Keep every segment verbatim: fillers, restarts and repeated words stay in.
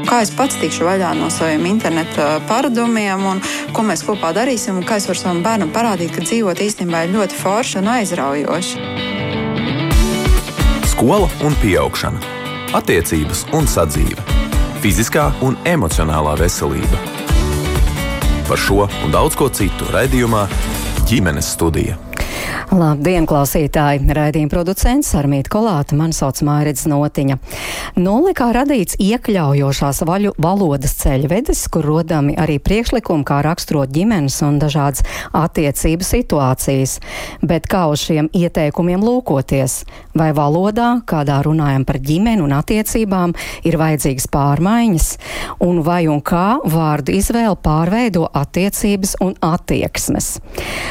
kā es pats tikšu vaļā no saviem interneta paradumiem, un ko mēs kopā darīsim, un kā es varu savam bērnam parādīt, ka dzīvot īstenībā ir ļoti forši un aizraujoši. Skola un pieaugšana, attiecības un sadzīve, fiziskā un emocionālā veselība. Par šo un daudz ko citu raidījumā Ģimenes studija. Labdien, klausītāji! Raidījuma producents Armīta Kolāta, mani sauc Mairits Notiņa. Nolikā radīts iekļaujošās vaļu valodas ceļvedis, kur rodami arī priekšlikumi, kā raksturot ģimenes un dažādas attiecību situācijas. Bet kā uz šiem ieteikumiem lūkoties? Vai valodā, kādā runājam par ģimeni un attiecībām, ir vajadzīgas pārmaiņas? Un vai un kā vārdu izvēle pārveido attiecības un attieksmes?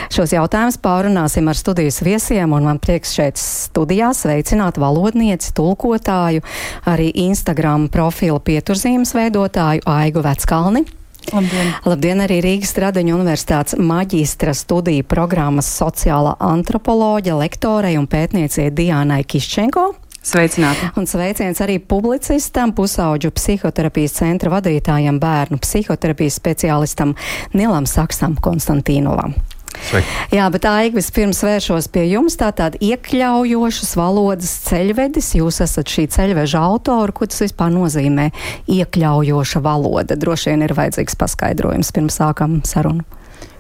Šos jautājumus pārunāsim ar studijas viesiem, un man prieks šeit studijā sveicināt valodnieci, tulkotāju, arī Instagram profilu pieturzīmes veidotāju Aigu Veckalni. Labdien! Labdien arī Rīgas Tradeņu universitātes maģistra studiju programmas sociālā antropoloģa, lektorei un pētniecei Diānai Kiščenko. Sveicināti! Un sveiciens arī publicistam, pusauģu psihoterapijas centra vadītājam, bērnu psihoterapijas speciālistam Nilam Saksam Konstantīnovam. Sveiki. Jā, bet Aiga, vispirms vēršos pie jums. Tātad iekļaujošas valodas ceļvedis. Jūs esat šī ceļveža autora. Ko tas vispār nozīmē iekļaujoša valoda? Droši vien ir vajadzīgs paskaidrojums, pirms sākam sarunu.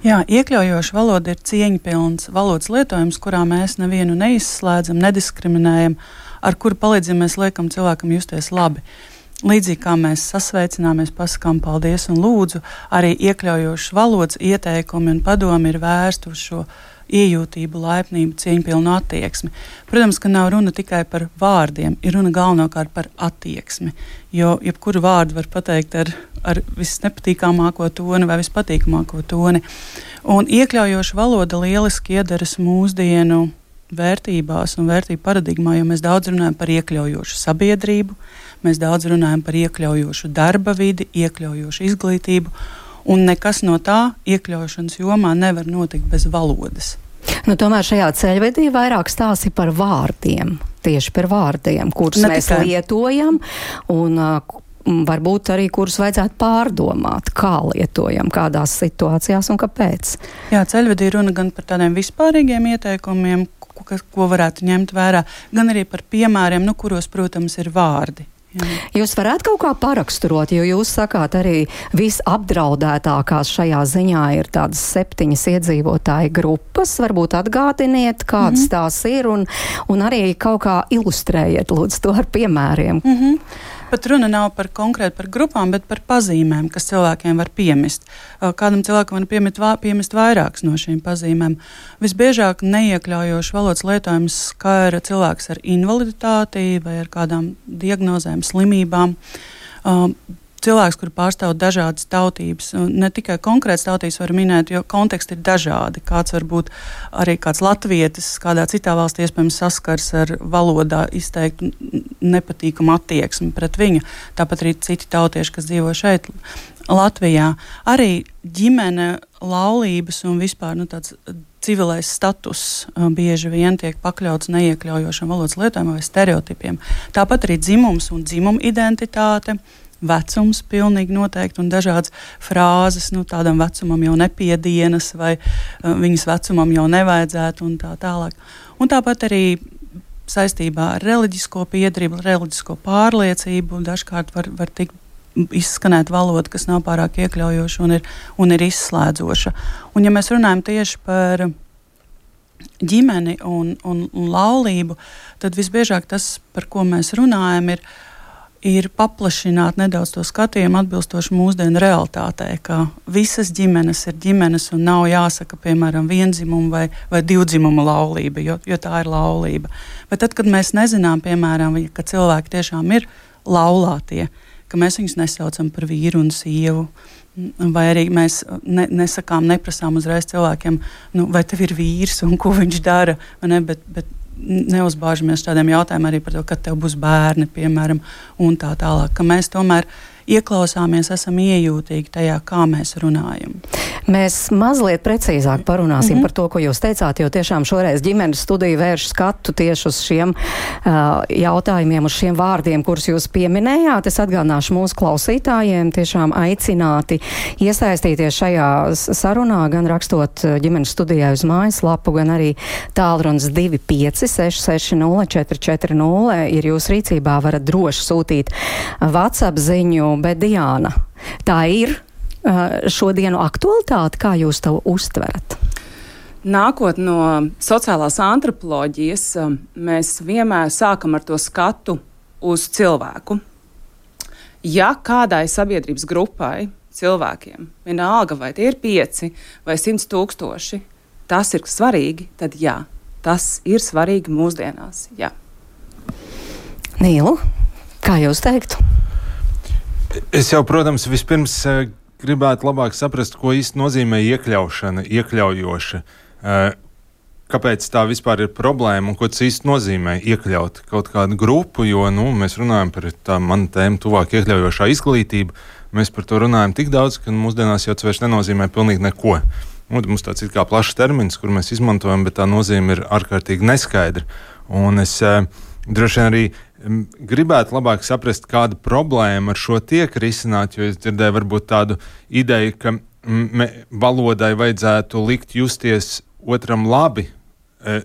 Jā, iekļaujoša valoda ir cieņpilns valodas lietojums, kurā mēs nevienu neizslēdzam, nediskriminējam, ar kuru palīdzību mēs liekam cilvēkam justies labi. Līdzīgi kā mēs sasveicināmies, pasakām paldies un lūdzu, arī iekļaujošas valodas ieteikumi un padomi ir vērsti uz šo iejūtību, laipnību, cieņpilnu attieksmi. Protams, ka nav runa tikai par vārdiem, ir runa galvenokārt par attieksmi, jo jebkuru vārdu var pateikt ar, ar visnepatīkamāko toni vai vispatīkamāko toni. Un iekļaujoša valoda lieliski iedaras mūsdienu vērtībās un vērtību paradigmā, jo mēs daudz runājam par iekļaujošu sabiedrību, mēs daudz runājam par iekļaujošu darba vidi, iekļaujošu izglītību, un nekas no tā iekļaušanas jomā nevar notikt bez valodas. Nu, tomēr šajā ceļvedī vairāk stāsti par vārdiem, tieši par vārdiem, kurus ne mēs tikai lietojam, un uh, varbūt arī kurus vajadzētu pārdomāt, kā lietojam, kādās situācijās un kāpēc. Jā, ceļvedī runa gan par tādiem vispārīgiem ieteikumiem, ko, ko varētu ņemt vērā, gan arī par piemēriem, nu, kuros, protams, ir vārdi. Jā. Jūs varētu kaut kā paraksturot, jo jūs sakāt arī visapdraudētākās šajā ziņā ir tādas septiņas iedzīvotāju grupas. Varbūt atgādiniet, kādas mm-hmm. tās ir, un, un arī kaut kā ilustrējiet, lūdzu, to ar piemēriem. Mm-hmm. Pat runa nav par konkrēti par grupām, bet par pazīmēm, kas cilvēkiem var piemist. Kādam cilvēkam var piemist, piemist vairākas no šīm pazīmēm. Visbiežāk neiekļaujoši valodas lietojums skar cilvēks ar invaliditāti vai ar kādām diagnozēm, slimībām. Cilvēks, kur pārstāv dažādas tautības, ne tikai konkrētas tautības var minēt, jo konteksti ir dažādi. Kāds var būt arī kāds latvietis, kādā citā valstī iespējams saskars ar valodā izteiktu nepatīkamu attieksmi pret viņu. Tāpat arī citi tautieši, kas dzīvo šeit, Latvijā. Arī ģimene, laulības un vispār nu, tāds civilais status bieži vien tiek pakļauts neiekļaujošam valodas lietojumam vai stereotipiem. Tāpat arī dzimums un dzimuma identitāte, vecums pilnīgi noteikti un dažādas frāzes, nu tādam vecumam jau nepiedienas vai uh, viņas vecumam jau nevajadzētu un tā tālāk. Un tāpat arī saistībā ar reliģisko piedrību, reliģisko pārliecību dažkārt var, var tikt izskanēt valoda, kas nav pārāk iekļaujoša un ir, un ir izslēdzoša. Un ja mēs runājam tieši par ģimeni un, un, un laulību, tad visbiežāk tas, par ko mēs runājam, ir ir paplašināt nedaudz to skatījumu atbilstoši mūsdienu realitātei, ka visas ģimenes ir ģimenes un nav jāsaka, piemēram, viendzimumu vai, vai divdzimumu laulība, jo, jo tā ir laulība. Bet tad, kad mēs nezinām, piemēram, ka cilvēki tiešām ir laulātie, ka mēs viņus nesaucam par vīru un sievu, vai arī mēs ne, nesakām, neprasām uzreiz cilvēkiem, nu, vai tev ir vīrs un ko viņš dara, vai ne, bet, bet neuzbāžamies tādiem jautājumiem arī par to, kad tev būs bērni, piemēram, un tā tālāk, ka mēs tomēr ieklausāmies, esam iejūtīgi tajā, kā mēs runājam. Mēs mazliet precīzāk parunāsim mm-hmm. par to, ko jūs teicāt, jo tiešām šoreiz ģimenes studija vērš skatu tieši uz šiem uh, jautājumiem, uz šiem vārdiem, kurus jūs pieminējāt. Es atgādināšu mūsu klausītājiem tiešām aicināti iesaistīties šajā sarunā, gan rakstot ģimenes studijā uz mājaslapu, gan arī tālrunis divi pieci seši seši nulle četri četri nulle ir jūsu rīcībā, varat droši sūtīt WhatsApp ziņu, bet Diāna, tā ir šodienu aktualitāti, kā jūs to uztverat? Nākot no sociālās antropoloģijas, mēs vienmēr sākam ar to skatu uz cilvēku. Ja kādai sabiedrības grupai, cilvēkiem, vienalga vai tie ir pieci vai simts tūkstoši, tas ir svarīgi, tad jā, tas ir svarīgi mūsdienās, jā. Nīlu, kā jūs teiktu? Es jau, protams, vispirms gribētu labāk saprast, ko īsti nozīmē iekļaušana, iekļaujoša. Kāpēc tā vispār ir problēma un ko tas īsti nozīmē iekļaut kaut kādu grupu, jo nu, mēs runājam par tā manu tēmu tuvāk iekļaujošā izglītība. Mēs par to runājam tik daudz, ka mūsdienās jau tas vairs nenozīmē pilnīgi neko. Nu, mums tāds ir kā plašs termins, kur mēs izmantojam, bet tā nozīme ir ārkārtīgi neskaidra. Un es droši vien arī gribētu labāk saprast, kāda problēma ar šo tiek risināt, jo es dzirdēju varbūt tādu ideju, ka me, valodai vajadzētu likt justies otram labi.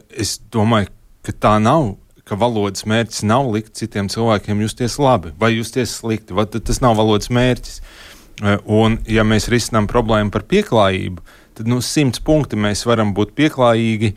Es domāju, ka tā nav, ka valodas mērķis nav likt citiem cilvēkiem justies labi vai justies slikti, vai tas nav valodas mērķis. Un ja mēs risinām problēmu par pieklājību, tad nu simts punkti mēs varam būt pieklājīgi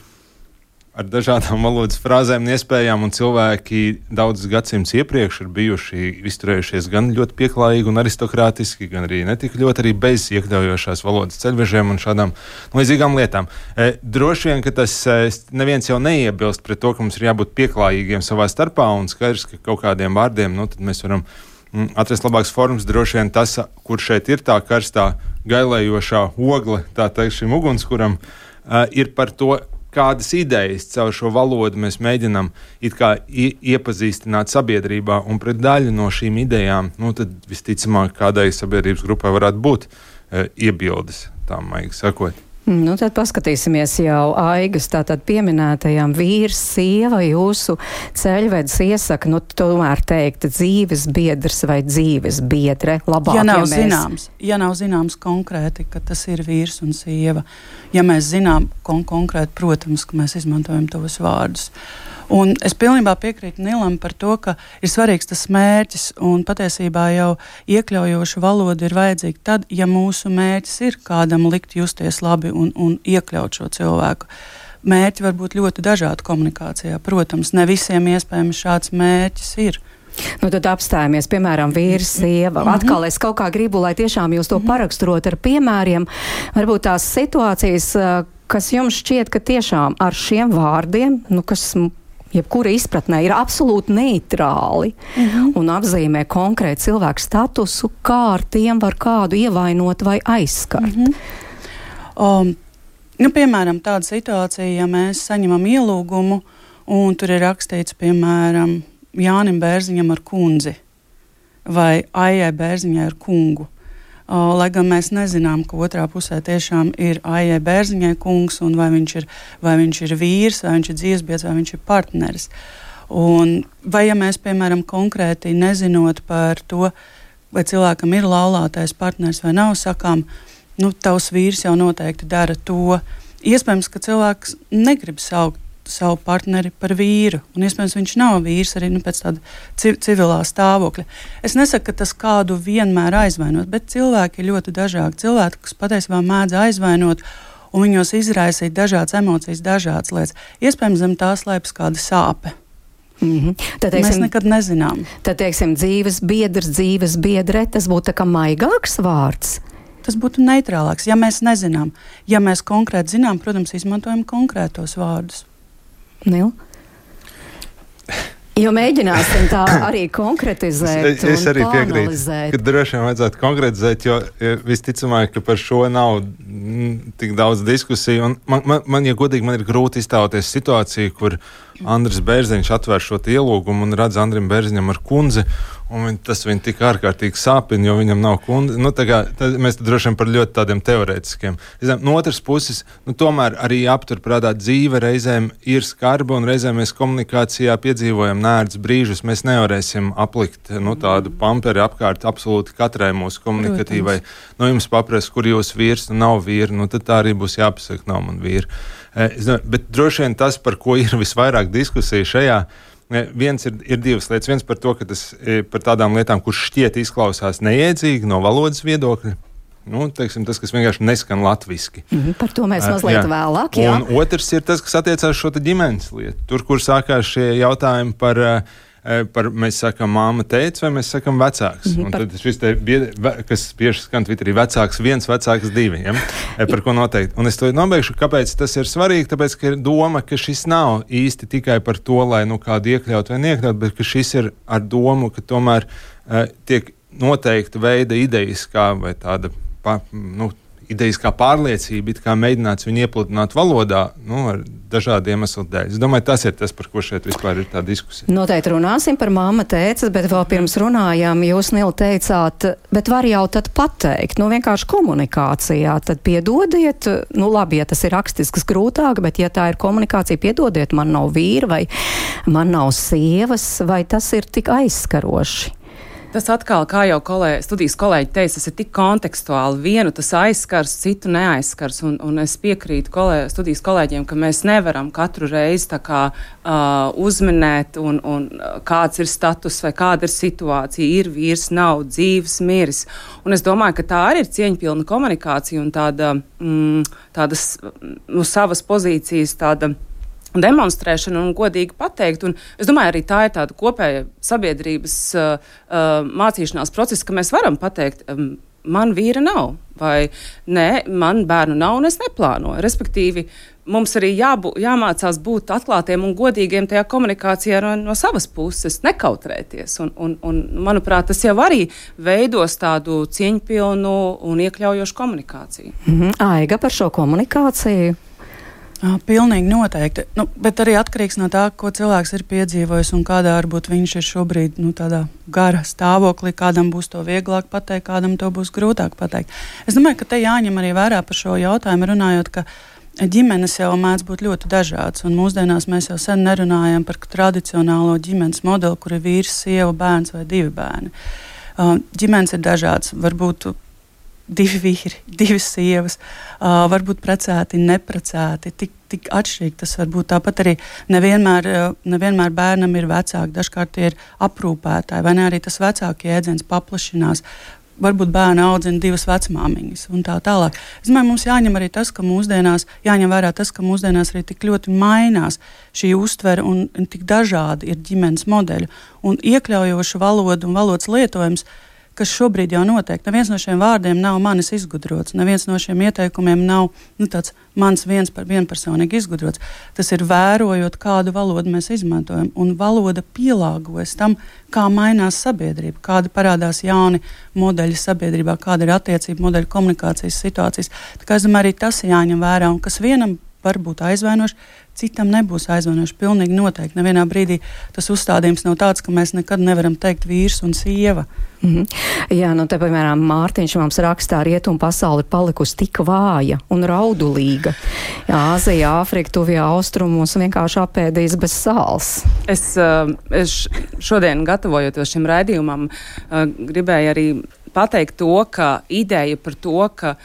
ar dažādām valodas frāzēm un iespējām, un cilvēki daudzus gadsimtus iepriekš ir bijuši izturējušies gan ļoti pieklājīgi un aristokrātiski, gan arī netik ļoti arī bez iekļaujošās valodas ceļvežiem un šādām līdzīgām lietām. E, droši vien, ka tas e, neviens jau neiebilst pret to, ka mums ir jābūt pieklājīgiem savā starpā, un skaidrs, ka kaut kādiem vārdiem, nu, tad mēs varam mm, atrast labākas formas. Droši vien tas, kur šeit ir tā karstā gailējošā ogle, tā teikt, šim ugunskuram, e, ir par to, kādas idejas caur šo valodu mēs mēģinām it kā iepazīstināt sabiedrībā, un pret daļu no šīm idejām, nu tad visticamāk kādai sabiedrības grupai varētu būt e, iebildes, tā maigi sakot. Nu, tad paskatīsimies jau Aigas tātad pieminētajām vīrs, sieva, jūsu ceļvedis iesaka, nu, tomēr teikt dzīves biedrs vai dzīves biedre. Labāk, ja nav ja mēs... zināms, ja nav zināms konkrēti, ka tas ir vīrs un sieva, ja mēs zinām kon- konkrēti, protams, ka mēs izmantojam tos vārdus. Un es pilnībā piekrītu Nilam par to, ka ir svarīgs tas mērķis, un patiesībā jau iekļaujoša valoda ir vajadzīga tad, ja mūsu mērķis ir kādam likt justies labi un, un iekļaut šo cilvēku. Mērķi var būt ļoti dažādi komunikācijā. Protams, ne visiem iespējams šāds mērķis ir. Nu, tad apstājamies, piemēram, vīrs, sieva. Mm-hmm. Atkal es kaut kā gribu, lai tiešām jūs to paraksturot ar piemēriem. Varbūt tās situācijas, kas jums šķiet, ka tiešām ar šiem vārdiem, nu, kas jebkura izpratnē ir absolūti neitrāli mm-hmm. un apzīmē konkrētu cilvēku statusu, kā ar tiem var kādu ievainot vai aizskart. Mm-hmm. Um, nu, piemēram, tāda situācija, ja mēs saņemam ielūgumu un tur ir rakstīts, piemēram, Jānim Bērziņam ar kundzi vai Aijai Bērziņai ar kungu. Uh, lai gan mēs nezinām, ka otrā pusē tiešām ir Aijai Bērziņai kungs, un vai viņš ir, vai viņš ir vīrs, vai viņš ir dzīvesbiedrs, vai viņš ir partneris. Un, vai ja mēs, piemēram, konkrēti nezinot par to, vai cilvēkam ir laulātais partneris vai nav, sakām, nu, tavs vīrs jau noteikti dara to. Iespējams, ka cilvēks negrib saukt savu partneri par vīru, un iespējams viņš nav vīrs arī nu, pēc tāda civ- civilā stāvokļa. Es nesaku, ka tas kādu vienmēr aizvainot, bet cilvēki ir ļoti dažādi. Cilvēki, kas patiesībā mēdz aizvainot, un viņos izraisīt dažādas emocijas, dažādas lietas. Iespējams, zem tā slēpjas kāda sāpe. Mm-hmm. Tad, teiksim, mēs nekad nezinām. Tad, teiksim, dzīves biedrs, dzīves biedre, tas būtu tā kā maigāks vārds. Tas būtu neitrālāks, ja mēs nezinām. Ja mēs konkrēti zinām, protams, izmantojam konkrētos vārdus. Nil? Jo mēģināsim tā arī konkretizēt es, es arī piekrītu, ka droši vien vajadzētu konkretizēt, jo visticamāk, ka par šo nav mm, tik daudz diskusiju. Un man, man, man, ja godīgi, man ir grūti iztēloties situāciju, kur Andris Bērziņš atver šo ielūgumu un redz Andrim Bērziņam ar kundzi, un viņ, tas viņu tik ārkārtīgi sāpina, jo viņam nav kundze. Nu, tā kā, tad mēs tad droši vien par ļoti tādiem teorētiskiem. No otras puses, nu, tomēr arī aptur prātā dzīve reizēm ir skarba, un reizēm mēs komunikācijā piedzīvojam nērdz brīžus. Mēs nevarēsim aplikt nu, tādu pamperi apkārt absolūti katrai mūsu komunikatīvai. No jums paprast, kur jūs vīrs, nu nav vīri, nu tad tā arī būs jāpasaka, nav man vīri. Bet droši vien tas, par ko ir visvairāk diskusija šajā, viens ir, ir divas lietas. Viens par to, ka tas par tādām lietām, kurš šķiet izklausās neiedzīgi no valodas viedokļa. Nu, teiksim, tas, kas vienkārši neskan latviski. Mm, par to mēs mazliet jā. vēlāk, jā. Un otrs ir tas, kas attiecās šo ģimenes lietu. Tur, kur sākās šie jautājumi par par, mēs sakam, māma teica, vai mēs sakam vecāks. Mm-hmm, un par... tad šis te, kas bieži skan Twitterī, vecāks viens, vecāks divi, ja? Par ko noteikti. Un es to nobeigšu, kāpēc tas ir svarīgi, tāpēc, ka ir doma, ka šis nav īsti tikai par to, lai nu kādu iekļaut vai neiekļaut, bet ka šis ir ar domu, ka tomēr uh, tiek noteikta veida idejas, kā vai tāda, pa, nu, idejas kā pārliecība, it kā mēģināts viņu iepludināt valodā, nu, ar dažādu iemeslu dēļ. Es domāju, tas ir tas, par ko šeit vispār ir tā diskusija. Noteikti runāsim par māma tēcas, bet vēl pirms runājām, jūs, Nil, teicāt, bet var jau tad pateikt, nu, vienkārši komunikācijā, tad piedodiet, nu, labi, ja tas ir rakstisks grūtāk, bet ja tā ir komunikācija, piedodiet, man nav vīra vai man nav sievas, vai tas ir tik aizskaroši? Tas atkal, kā jau kolēģi, studijas kolēģi teica, tas ir tik kontekstuāli. Vienu tas aizskars, citu neaizskars. Un, un es piekrītu kolēģi, studijas kolēģiem, ka mēs nevaram katru reizi tā kā uh, uzminēt, un, un kāds ir status vai kāda ir situācija. Ir vīrs, nav dzīves, miris. Un es domāju, ka tā arī ir cieņpilna komunikācija un tāda, mm, tādas, nu, savas pozīcijas tāda demonstrēšanu un godīgi pateikt. Un es domāju, arī tā ir tāda kopēja sabiedrības uh, uh, mācīšanās procesa, ka mēs varam pateikt, um, man vīra nav, vai nē, man bērnu nav un es neplānoju. Respektīvi, mums arī jābū, jāmācās būt atklātiem un godīgiem tajā komunikācijā no, no savas puses, nekautrēties. Un, un, un, manuprāt, tas jau arī veidos tādu cieņpilnu un iekļaujošu komunikāciju. Mm-hmm. Aiga, par šo komunikāciju? Jā, pilnīgi noteikti. Nu, bet arī atkarīgs no tā, ko cilvēks ir piedzīvojis un kādā varbūt viņš ir šobrīd nu, tādā gara stāvoklī, kādam būs to vieglāk pateikt, kādam to būs grūtāk pateikt. Es domāju, ka te jāņem arī vērā par šo jautājumu, runājot, ka ģimenes jau mēdz būt ļoti dažādas, un mūsdienās mēs jau sen nerunājam par tradicionālo ģimenes modeli, kur ir vīrs, sieva, bērns vai divi bērni. Uh, ģimenes ir dažādas, varbūt divi vīri, divas sievas, uh, varbūt precēti, neprecēti, tik, tik atšķirīgi tas var būt. Tāpat arī nevienmēr, uh, nevienmēr bērnam ir vecāki, dažkārt tie ir aprūpētāji, vai ne arī tas vecāki jēdziens paplašinās. Varbūt bērni audzina divas vecmāmiņas un tā tālāk. Es domāju, mums jāņem arī tas, ka mūsdienās, jāņem vērā tas, ka mūsdienās arī tik ļoti mainās šī uztvere un, un tik dažādi ir ģimenes modeļi. Un iekļaujoša valoda un valodas lietojums, kas šobrīd jau notiek. Neviens no šiem vārdiem nav manis izgudrots, neviens no šiem ieteikumiem nav nu, tāds mans viens par vienpersonīgi izgudrots. Tas ir vērojot, kādu valodu mēs izmantojam, un valoda pielāgojas tam, kā mainās sabiedrība, kādi parādās jauni modeļi sabiedrībā, kāda ir attiecība modeļi komunikācijas situācijas. Tā kā es domāju, arī tas jāņem vērā, un kas vienam var būt aizvainoši, citam nebūs aizvainoši. Pilnīgi noteikti. Nevienā brīdī tas uzstādījums nav tāds, ka mēs nekad nevaram teikt vīrs un sieva. Mm-hmm. Jā, nu te, piemēram, Mārtiņš mums rakstā, rietumu pasauli palikusi tik vāja un raudulīga. Āzija, Āfrika, tuvie austrumos vienkārši apēdīs bez sāls. Es, es šodien, gatavojoties šim raidījumam, gribēju arī pateikt to, ka ideja par to, ka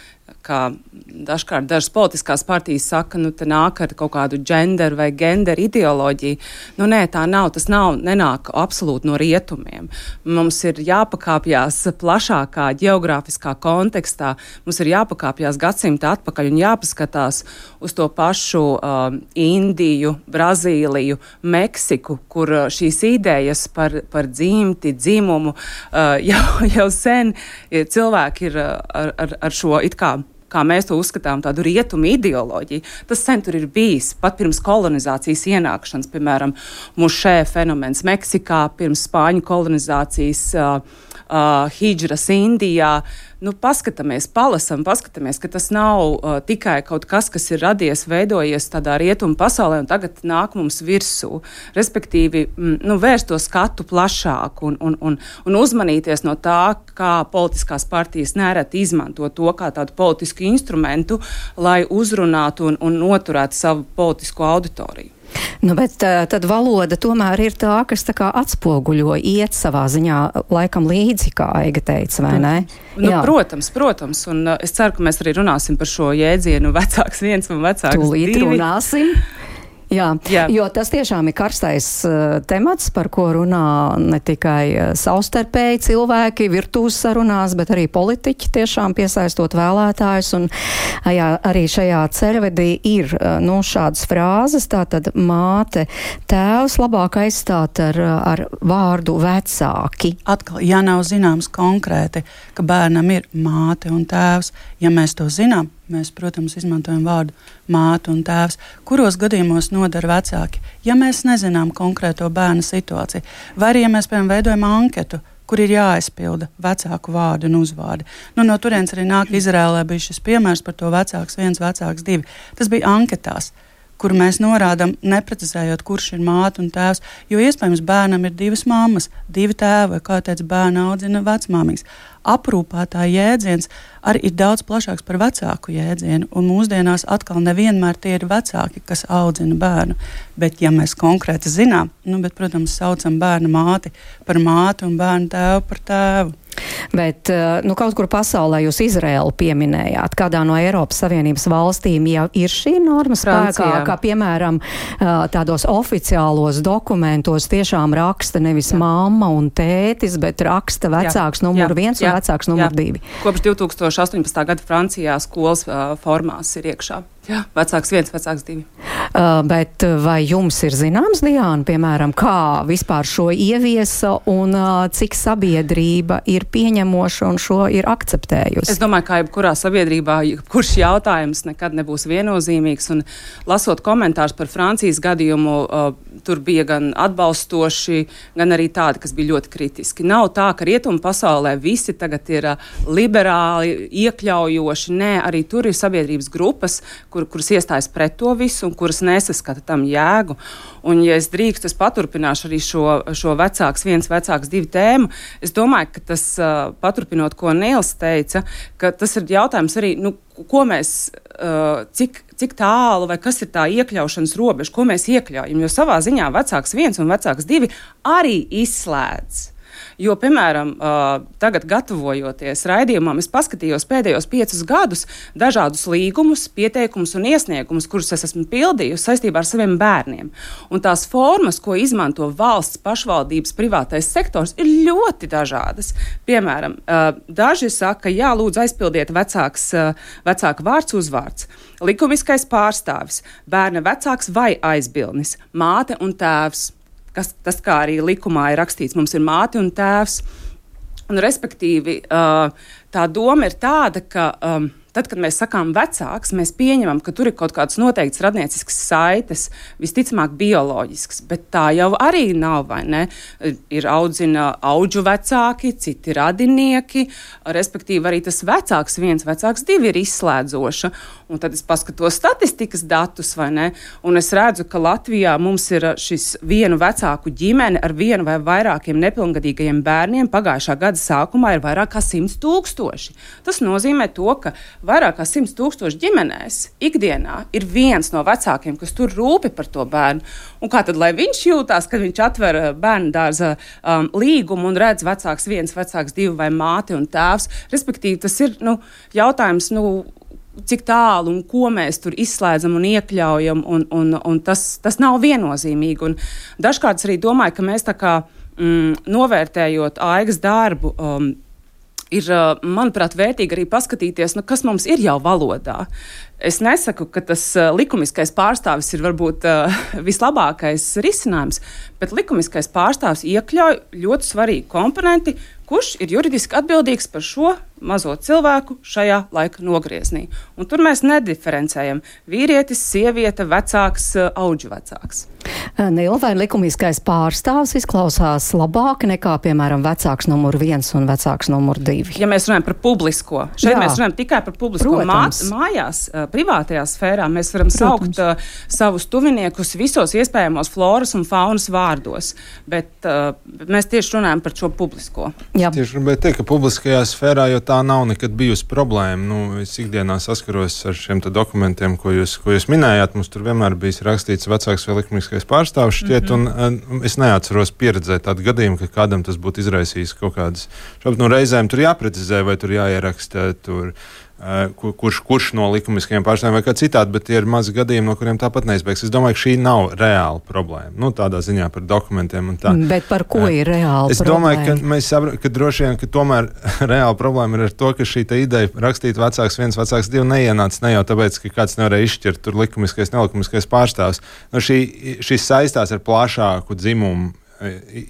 kā dažkārt dažas politiskās partijas saka, nu te nāk ar kaut kādu genderu vai genderu ideoloģiju. Nu nē, tā nav, tas nav, nenāk absolūti no rietumiem. Mums ir jāpakāpjās plašākā ģeogrāfiskā kontekstā, mums ir jāpakāpjās gadsimta atpakaļ un jāpaskatās uz to pašu uh, Indiju, Brazīliju, Meksiku, kur uh, šīs idejas par, par dzimti, dzimumu uh, jau, jau sen cilvēki ir uh, ar, ar, ar šo it kā kā mēs to uzskatām, tādu rietumu ideoloģiju. Tas sen tur ir bijis, pat pirms kolonizācijas ienākšanas, piemēram, mušē fenomens Meksikā, pirms spāņu kolonizācijas uh, uh, hidžras Indijā. Nu, paskatāmies, palasam, paskatāmies, ka tas nav uh, tikai kaut kas, kas ir radies, veidojies tādā rietumu pasaulē un tagad nāk mums virsū. Respektīvi, m, nu, vērst to skatu plašāk un, un, un, un uzmanīties no tā, kā politiskās partijas nereti izmanto to kā tādu politisku instrumentu, lai uzrunātu un, un noturētu savu politisko auditoriju. Nu, bet tad valoda tomēr ir tā, kas tā kā atspoguļo, iet savā ziņā laikam līdzi, kā Aiga teica, vai ne? Nu, protams, protams, un uh, es ceru, ka mēs arī runāsim par šo jēdzienu vecāks viens un vecāks Tūlīt divi. runāsim. Jā, Jā, jo tas tiešām ir karstais uh, temats, par ko runā ne tikai uh, savstarpēji cilvēki virtuves sarunās, bet arī politiķi tiešām piesaistot vēlētājus. Un uh, jā, arī šajā ceļvedī ir uh, nu, šādas frāzes, tātad māte, tēvs labāk aizstāt ar, ar vārdu vecāki. Atkal, ja nav zināms konkrēti, ka bērnam ir māte un tēvs, ja mēs to zinām, mēs, protams, izmantojam vārdu māte un tēvs. Kuros gadījumos nodara vecāki? Ja mēs nezinām konkrēto bērna situāciju, vai arī, ja mēs, piemēram, veidojam anketu, kur ir jāaizpilda vecāku vārdu un uzvārdi. Nu, no turienes arī nāk Izrēlē bija šis piemērs par to vecāks viens, vecāks divi. Tas bija anketās, kur mēs norādām, neprecizējot, kurš ir māte un tēvs, jo iespējams bērnam ir divas mammas, divi tēvi, vai kā teica, bērna audzina vecmāmīgs. Aprūpētāja jēdziens arī ir daudz plašāks par vecāku jēdzienu, un mūsdienās atkal nevienmēr tie ir vecāki, kas audzina bērnu. Bet, ja mēs konkrēti zinām, nu, bet, protams, saucam bērna māti par māti un bērnu tēvu par tēvu. Bet nu, kaut kur pasaulē jūs Izraēlu pieminējāt. Kādā no Eiropas Savienības valstīm jau ir šī norma spēkā, kā piemēram tādos oficiālos dokumentos tiešām raksta nevis jā. mamma un tētis, bet raksta vecāks numur viens un vecāks numur divi. Kopš divi tūkstoši astoņpadsmitā gada Francijā skolas uh, formās ir iekšā. Jā, vecāks viens, vecāks divi. Uh, bet vai jums ir zināms, Diāna, piemēram, kā vispār šo ieviesa un uh, cik sabiedrība ir pieņemoša un šo ir akceptējusi? Es domāju, ka jebkurā sabiedrībā, kurš jautājums nekad nebūs viennozīmīgs, un lasot komentārus par Francijas gadījumu, uh, tur bija gan atbalstoši, gan arī tādi, kas bija ļoti kritiski. Nav tā, ka rietumu pasaulē visi tagad ir uh, liberāli, iekļaujoši. Nē, arī tur ir sabiedrības grupas, kur, kuras iestājas pret to visu un kuras nesaskata tam jēgu. Un, ja es drīkstu, es paturpināšu arī šo, šo vecāks viens, vecāks divi tēmu. Es domāju, ka tas, uh, paturpinot, ko Nils teica, ka tas ir jautājums arī, nu, ko mēs, uh, cik, cik tālu vai kas ir tā iekļaušanas robeža, ko mēs iekļaujam, jo savā ziņā vecāks viens un vecāks divi arī izslēdz. Jo, piemēram, uh, tagad gatavojoties raidījumam, es paskatījos pēdējos piecus gadus dažādus līgumus, pieteikumus un iesniegumus, kurus es esmu pildījusi saistībā ar saviem bērniem. Un tās formas, ko izmanto valsts, pašvaldības, privātais sektors, ir ļoti dažādas. Piemēram, uh, daži saka, jā, lūdzu aizpildiet vecāks, uh, vecāka vārds uzvārds, likumiskais pārstāvis, bērna vecāks vai aizbildnis, māte un tēvs. Kas, tas, kā arī likumā ir rakstīts, mums ir māte un tēvs. Un, respektīvi, tā doma ir tāda, ka um, tad, kad mēs sakām vecāks, mēs pieņemam, ka tur ir kaut kāds noteikts radniecisks saites, visticamāk bioloģisks, bet tā jau arī nav, vai ne? Ir audzina audžu vecāki, citi radinieki, respektīvi arī tas vecāks viens, vecāks divi ir izslēdzoša. Un tad es paskatos statistikas datus, vai ne? Un es redzu, ka Latvijā mums ir šis vienu vecāku ģimene ar vienu vai vairākiem nepilngadīgajiem bērniem pagājušā gada sākumā ir vairāk kā simts tūkstoši. Tas nozīmē to, ka vairāk kā simts tūkstoši ģimenēs ikdienā ir viens no vecākiem, kas tur rūpi par to bērnu. Un kā tad, lai viņš jūtās, kad viņš atver bērnu dārza um, līgumu un redz vecāks viens, vecāks divi vai māte un tēvs? Respektīvi, tas ir nu, jautājums, nu, cik tālu un ko mēs tur izslēdzam un iekļaujam, un, un, un tas, tas nav viennozīmīgi. Un dažkārt arī domāju, ka mēs tā kā mm, novērtējot Aigas darbu, um, ir, manuprāt, vērtīgi arī paskatīties, nu, kas mums ir jau valodā. Es nesaku, ka tas uh, likumiskais pārstāvis ir varbūt uh, vislabākais risinājums, bet likumiskais pārstāvis iekļauj ļoti svarīgu komponenti, kurš ir juridiski atbildīgs par šo mazo cilvēku šajā laika nogrieznī. Un tur mēs nediferencējam vīrietis, sieviete, vecāks, auģu vecāks. Nīla, vai likumiskais pārstāvs izklausās labāk nekā, piemēram, vecāks numur viens un vecāks numur divi? Ja mēs runājam par publisko, šeit Jā. mēs runājam tikai par publisko. Mā, mājās, privātajā sfērā mēs varam Protams. saukt uh, savus tuviniekus visos iespējamos floras un faunas vārdos, bet uh, mēs tieši runājam par šo publisko. Jā. Tieši gribēju teikt, ka publiskajā sfērā, jo tā nav nekad bijusi problēma. Nu, es ikdienā saskaros ar šiem dokumentiem, ko jūs, ko jūs minējāt. Mums tur vienmēr bijis rakstīts vecāks vai likumiskais pārstāvs šķiet, mm-hmm. un, un es neatceros pieredzēt tādu gadījumu, ka kādam tas būtu izraisījis kaut kādas šaubas. Nu, reizēm tur jāprecizē, vai tur jāieraksta tur, uh, kur, kurš, kurš no likumiskajiem pārstāvjiem vai kā citādi, bet tie ir mazi gadījumi, no kuriem tāpat neizbēgs. Es domāju, ka šī nav reāla problēma. Nu, tādā ziņā par dokumentiem un tā. Bet par ko uh, ir reāla es problēma? Es domāju, ka mēs saprotam, ka droši vien, ka tomēr reāla problēma ir ar to, ka šī ideja rakstīt vecāks viens, vecāks divi neienāca ne jau tāpēc, ka kāds nevarēja izšķirt tur likumiskais, nelikumiskais pārstāvs. Nu, šī, šis saistās ar plašāku dzimumu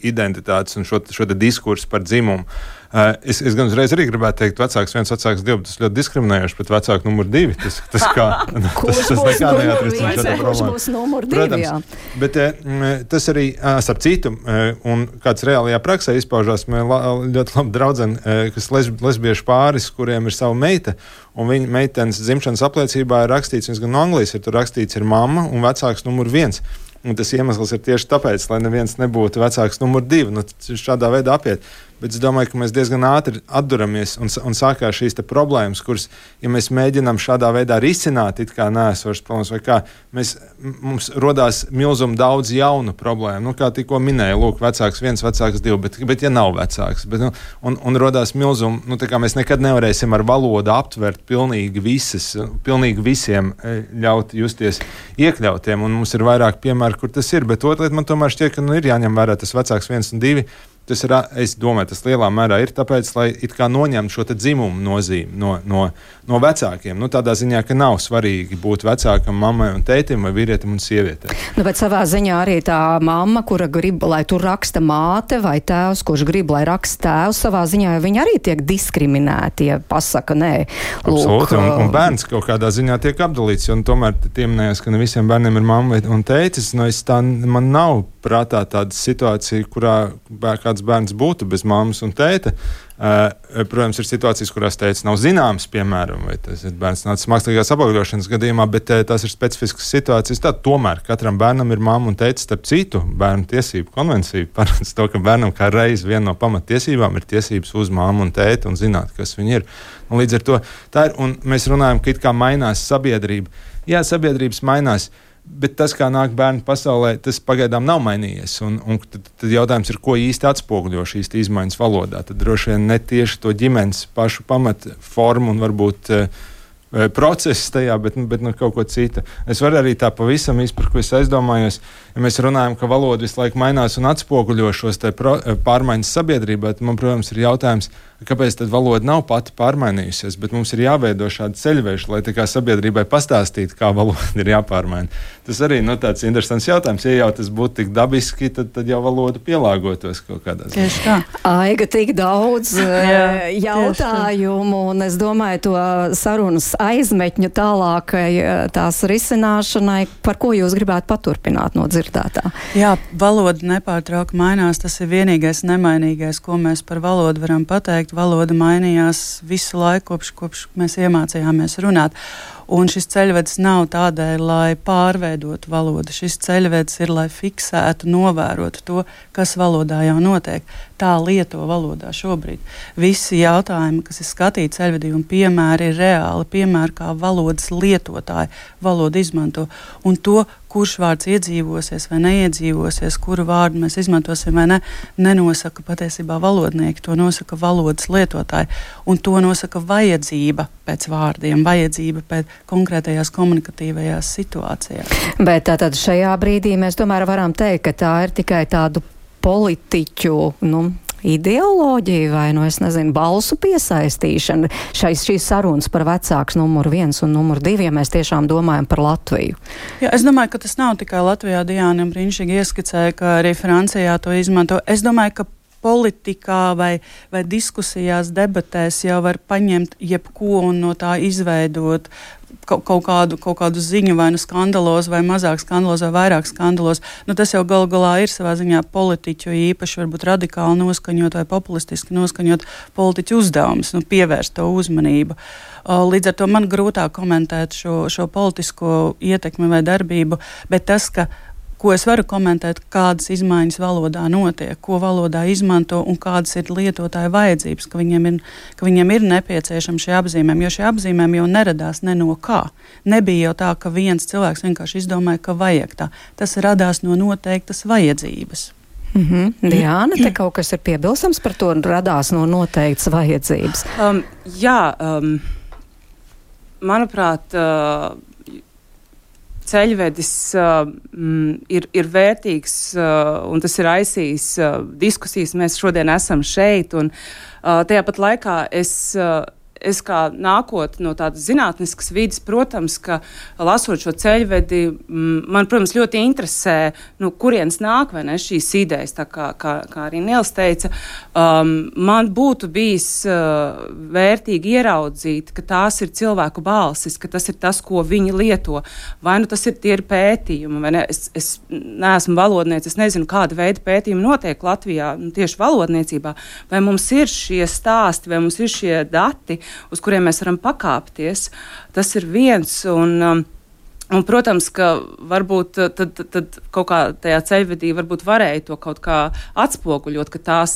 identitātes un šo, šo diskursu par dzimumu. Uh, es, es gan uzreiz arī gribētu teikt, vecāks viens, vecāks divi, tas ļoti diskriminējoši, bet vecāku numur divi, tas, tas kā, tas, tas nekā neatrisina šo problēmu. Kurš būs numur divi, Protams, jā. Bet uh, tas arī, uh, starp citu, uh, un kāds reālajā praksē izpaužās, man ļoti labi draudzeni, uh, kas lesb, lesbiešu pāris, kuriem ir sava meita, un viņa meitenes dzimšanas apliecībā ir rakstīts, viņas gan no Anglijas ir tur rakstīts, ir mamma un vecāks numur viens. Un tas iemesls ir tieši tāpēc, lai neviens nebūtu vecāks numur divi. Nu, šādā veidā apiet. Bet es domāju, ka mēs diezgan ātri atduramies un, un sākās šīs problēmas, kuras, ja mēs mēģinām šādā veidā risināt, it kā neesošas problēmas, vai kā, mēs, mums rodās milzum daudz jaunu problēmu. Nu, kā tikko minēja, lūk, vecāks viens, vecāks divi, bet, bet ja nav vecāks. Bet, nu, un, un rodās milzum, nu, tā kā mēs nekad nevarēsim ar valodu aptvert pilnīgi visas, pilnīgi visiem ļaut justies iekļautiem, un mums ir vairāk piemēru, kur tas ir, bet otra lieta man tomēr šķiet, ka nu, ir jāņem vērā tas vecāks viens un divi. Tas ir, es domāju, tas lielā mērā ir tāpēc, lai it kā noņemtu šo dzimumu nozīmi no, no, no vecākiem. Nu, tādā ziņā, ka nav svarīgi būt vecākam, mammai un tētim vai vīrietim un sievietei. Nu, bet savā ziņā arī tā mamma, kura grib, lai tur raksta māte, vai tēvs, kurš grib, lai raksta tēvs, savā ziņā viņi arī tiek diskriminēti, ja pasaka nē. Absolūti, un, un bērns kaut kādā ziņā tiek apdalīts, un tomēr tieminējās, ka ne visiem bērniem ir mamma un tētis. Nu, es tā, man nav prātā tāda situācija, kurā kāds bērns būtu bez mammas un tēta. Uh, protams, ir situācijas, kurās tēvs nav zināms, piemēram, vai tas ir bērns nācis mākslīgās apaugļošanas gadījumā, bet uh, tās ir specifiskas situācijas. Tā, tomēr katram bērnam ir mamma un tētis, starp citu, bērnu tiesību konvencija paredz to, ka bērnam kā reiz viena no pamattiesībām ir tiesības uz mammu un tēti un zināt, kas viņi ir. Un līdz ar to tā ir, un mēs runājam, ka it kā mainās sabiedrība. Jā, sabiedrības mainās. Bet tas, kā nāk bērni pasaulē, tas pagaidām nav mainījies. Un, un tad, tad jautājums ir, ko īsti atspoguļo šīs izmaiņas valodā. Tad droši vien ne tieši to ģimenes pašu pamatformu un varbūt uh, procesu tajā, bet, bet nu, kaut ko citu. Es varu arī tā pavisam īsti, par ko es aizdomājos, ja mēs runājam, ka valoda visu laiku mainās un atspoguļo šos te pro, pārmaiņas sabiedrībā, tad man, protams, ir jautājums, kāpēc tad valoda nav pati pārmainījusies, bet mums ir jāveido šādi ceļveži, lai tā kā sabiedrībai pastāstītu, kā valoda ir jāpārmaina. Tas arī nu, tāds interesants jautājums. Ja jau tas būtu tik dabiski, tad, tad jau valoda pielāgotos kaut kādā ziņā. Tieši tā. Aiga, tik daudz Jā, jautājumu, un es domāju, to sarunas aizmetņu tālākai tās risināšanai, par ko jūs gribētu paturpināt no dzirdētā? Jā, valoda nepārtraukti mainās. Tas ir vienīgais nemainīgais, ko mēs par valodu varam pateikt. Valoda mainījās visu laiku, kopš, kopš mēs iemācījāmies runāt. Un šis ceļvedis nav tādēļ, lai pārveidotu valodu. Šis ceļvedis ir, lai fiksētu, novērotu to, kas valodā jau notiek. Tā lieto valodā šobrīd. Visi jautājumi, kas ir skatīti ceļvedī un piemēri, ir reāli piemēri, kā valodas lietotāji valodu izmanto. Un to, kurš vārds iedzīvosies vai neiedzīvosies, kuru vārdu mēs izmantosim vai ne, nenosaka patiesībā valodnieki, to nosaka valodas lietotāji. Un to nosaka vajadzība pēc vārdiem, vajadzība pēc konkrētajās komunikatīvajās situācijās. Bet tātad šajā brīdī mēs tomēr varam teikt, ka tā ir tikai tādu politiķu, nu, ideoloģija vai, nu, es nezinu, balsu piesaistīšana šais, šīs sarunas par vecāks numur viens un numur divi, ja mēs tiešām domājam par Latviju. Jā, es domāju, ka tas nav tikai Latvijā. Diāna brīnišķīgi ieskicēja, ka arī Francijā to izmanto. Es domāju, ka politikā vai, vai diskusijās, debatēs jau var paņemt jebko un no tā izveidot kaut, kaut, kādu, kaut kādu ziņu, vai nu skandalos, vai mazāk skandalos, vai vairāk skandalos. Nu, tas jau gal galā ir savā ziņā politiķu īpaši varbūt radikāli noskaņot vai populistiski noskaņot politiķu uzdevums, nu, pievērst to uzmanību. Līdz ar to man grūtāk komentēt šo, šo politisko ietekmi vai darbību, bet tas, ka ko es varu komentēt, kādas izmaiņas valodā notiek, ko valodā izmanto un kādas ir lietotāja vajadzības, ka viņiem ir, ka viņiem ir nepieciešami šie apzīmējumi, jo šie apzīmējumi jau neradās ne no kā. Nebija jau tā, ka viens cilvēks vienkārši izdomāja, ka vajag tā. Tas radās no noteiktas vajadzības. Mm-hmm. Diāna, te kaut kas ir piebilstams par to, radās no noteiktas vajadzības. Um, jā, um, manuprāt, uh, ceļvedis uh, mm, ir, ir vērtīgs uh, un tas ir aizsījis uh, diskusijas. Mēs šodien esam šeit un uh, tajā pat laikā es, uh, es kā nākot no tādas zinātniskas vidas, protams, ka lasot šo ceļvedi, mm, man, protams, ļoti interesē, nu, kurienes nāk, vai ne, šīs idejas, tā kā, kā, kā arī Nils teica. Um, man būtu bijis uh, vērtīgi ieraudzīt, ka tās ir cilvēku balsis, ka tas ir tas, ko viņi lieto. Vai nu tas ir tie ir pētījumi, vai ne? Es, es neesmu valodniece, es nezinu, kāda veida pētījumi notiek Latvijā, nu, tieši valodniecībā. Vai mums ir šie stāsti, vai mums ir šie dati, uz kuriem mēs varam pakāpties. Tas ir viens, un, um, un protams, ka varbūt tad, tad kaut kā tajā ceļvedī varbūt varēja to kaut kā atspoguļot, ka, tās,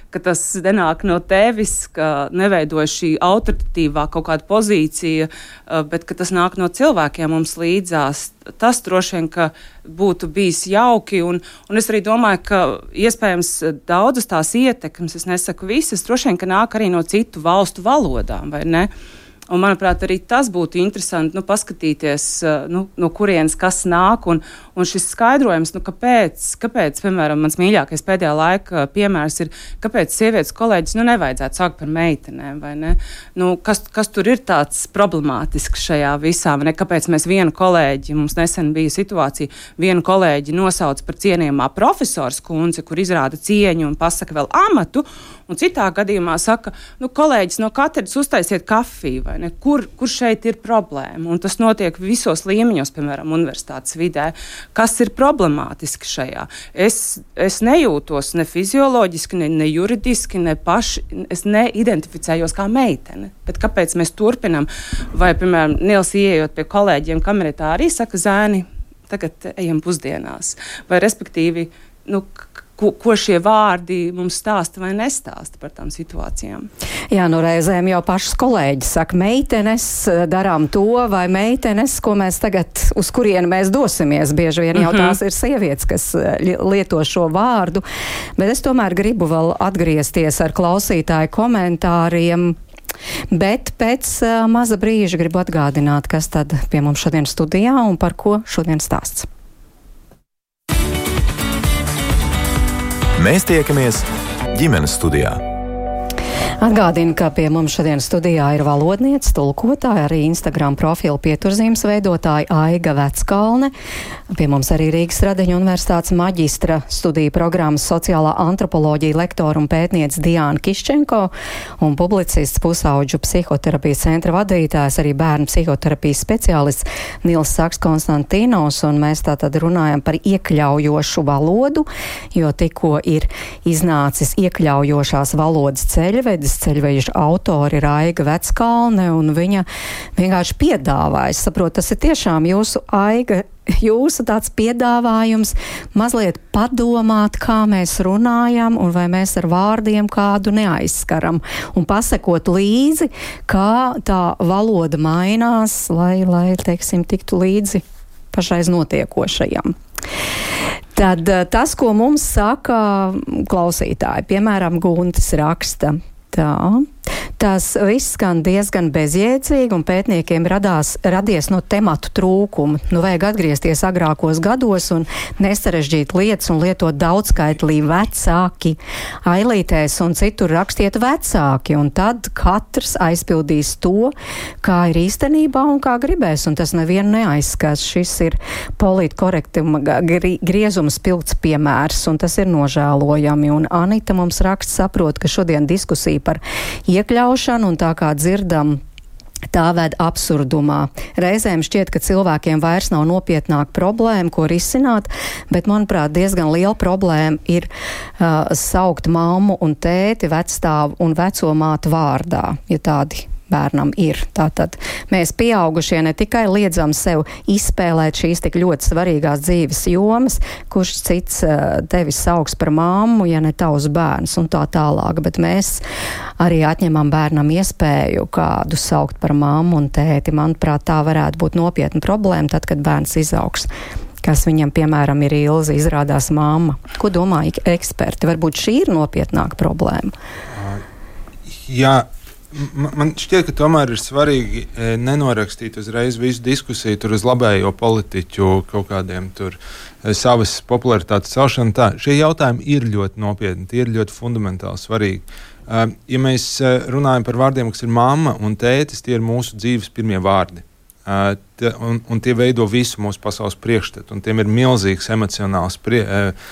ka tas nenāk no tevis, ka neveidoja šī autoritatīvā kaut kāda pozīcija, bet ka tas nāk no cilvēkiem mums līdzās. Tas droši vien, ka būtu bijis jauki, un, un es arī domāju, ka iespējams daudzas tās ietekmes, es nesaku visas, droši vien, ka nāk arī no citu valstu valodām, vai ne? Un, manuprāt, arī tas būtu interesanti, nu, paskatīties, nu, no kurienes kas nāk, un, un šis skaidrojums, nu, kāpēc, kāpēc, piemēram, mans mīļākais pēdējā laika piemērs ir, kāpēc sievietes kolēģis, nu, nevajadzētu sākt par meitenēm, vai ne? Nu, kas, kas tur ir tāds problemātisks šajā visā, vai ne? Kāpēc mēs vienu kolēģi, mums nesen bija situācija, vienu kolēģi nosauc par cienījamā profesors kundze, kur izrāda cieņu un pasaka vēl amatu, un citā gadījumā saka, nu, kolēģis no katedras uztaisiet kafiju, vai ne? Kur, kur šeit ir problēma? Un tas notiek visos līmeņos, piemēram, universitātes vidē. Kas ir problemātiski šajā? Es, es nejūtos ne fizioloģiski, ne, ne juridiski, ne paši, es neidentificējos kā meitene. Bet kāpēc mēs turpinam? Vai, piemēram, Nils ieejot pie kolēģiem kamerā arī saka, zēni, tagad ejam pusdienās. Vai respektīvi, nu, Ko, ko šie vārdi mums stāsta vai nestāsta par tām situācijām. Jā, nu reizēm jau pašas kolēģis saka, meitenes darām to, vai meitenes, ko mēs tagad, uz kurienu mēs dosimies. Bieži vien jau mm-hmm. tās ir sievietes, kas lieto šo vārdu, bet es tomēr gribu vēl atgriezties ar klausītāju komentāriem. Bet pēc uh, maza brīža gribu atgādināt, kas tad pie mums šodien studijā un par ko šodien stāsts. Mēs tiekamies ģimenes studijā. Atgādinu, ka pie mums šodien studijā ir valodniece, tulkotāja, arī Instagram profilu pieturzīmes veidotāja Aiga Veckalne. Pie mums arī Rīgas Radiņu universitātes maģistra studiju programmas sociālā antropoloģija lektora un pētniece Diāna Kiščenko un publicists pusauģu psihoterapijas centra vadītājs, arī bērnu psihoterapijas speciālists Nils Saks Konstantīnos, un mēs tātad runājam par iekļaujošu valodu, jo tikko ir iznācis iekļaujošās valodas ceļvedis. Ceļveža autori ir Aiga Veckalne, un viņa vienkārši piedāvāja. Es saprotu, tas ir tiešām jūsu, Aiga, jūsu tāds piedāvājums mazliet padomāt, kā mēs runājam, un vai mēs ar vārdiem kādu neaizskaram, un pasekot līdzi, kā tā valoda mainās, lai, lai teiksim, tiktu līdzi pašreiz notiekošajam. Tad tas, ko mums saka klausītāji, piemēram, Guntis raksta, tā, Tas viss skan diezgan bezjēdzīgi, un pētniekiem radās, radies no tematu trūkuma. Nu, vajag atgriezties agrākos gados un nesarežģīt lietas un lietot daudzskaitlī vecāki, ailītēs un citur rakstiet vecāki, un tad katrs aizpildīs to, kā ir īstenībā un kā gribēs, un tas nevienu neaizskats. Šis ir politkorektuma griezuma spilgts piemērs, un tas ir nožēlojami, un Anita mums raksta saprot, ka šodien diskusija par iekļaušanu, un tā kā dzirdam, tā ved absurdumā. Reizēm šķiet, ka cilvēkiem vairs nav nopietnāka problēma, ko risināt, bet, manuprāt, diezgan liela problēma ir uh, saukt mammu un tēti, vecstāvu un veco mātu vārdā, ja tādi bērnam ir. Tātad mēs pieaugušie ne tikai liedzam sev izspēlēt šīs tik ļoti svarīgās dzīves jomas, kurš cits uh, tevi sauks par mammu, ja ne tavs bērns un tā tālāk, bet mēs arī atņemam bērnam iespēju kādu saukt par mammu un tēti. Manuprāt, tā varētu būt nopietna problēma tad, kad bērns izaugs. Kas viņam, piemēram, ir Ilze, izrādās mamma. Ko domā eksperti? Varbūt šī ir nopietnāka problēma? Jā. Man šķiet, ka tomēr ir svarīgi nenorakstīt uzreiz visu diskusiju tur uz labējo politiķu kaut kādiem tur savas popularitātes celšanu. Tā, šie jautājumi ir ļoti nopietni, tie ir ļoti fundamentāli svarīgi. Ja mēs runājam par vārdiem, kas ir mamma un tētis, tie ir mūsu dzīves pirmie vārdi. Uh, tie, un, un tie veido visu mūsu pasaules priekšstatu, un tiem ir milzīgs emocionāls prie, uh,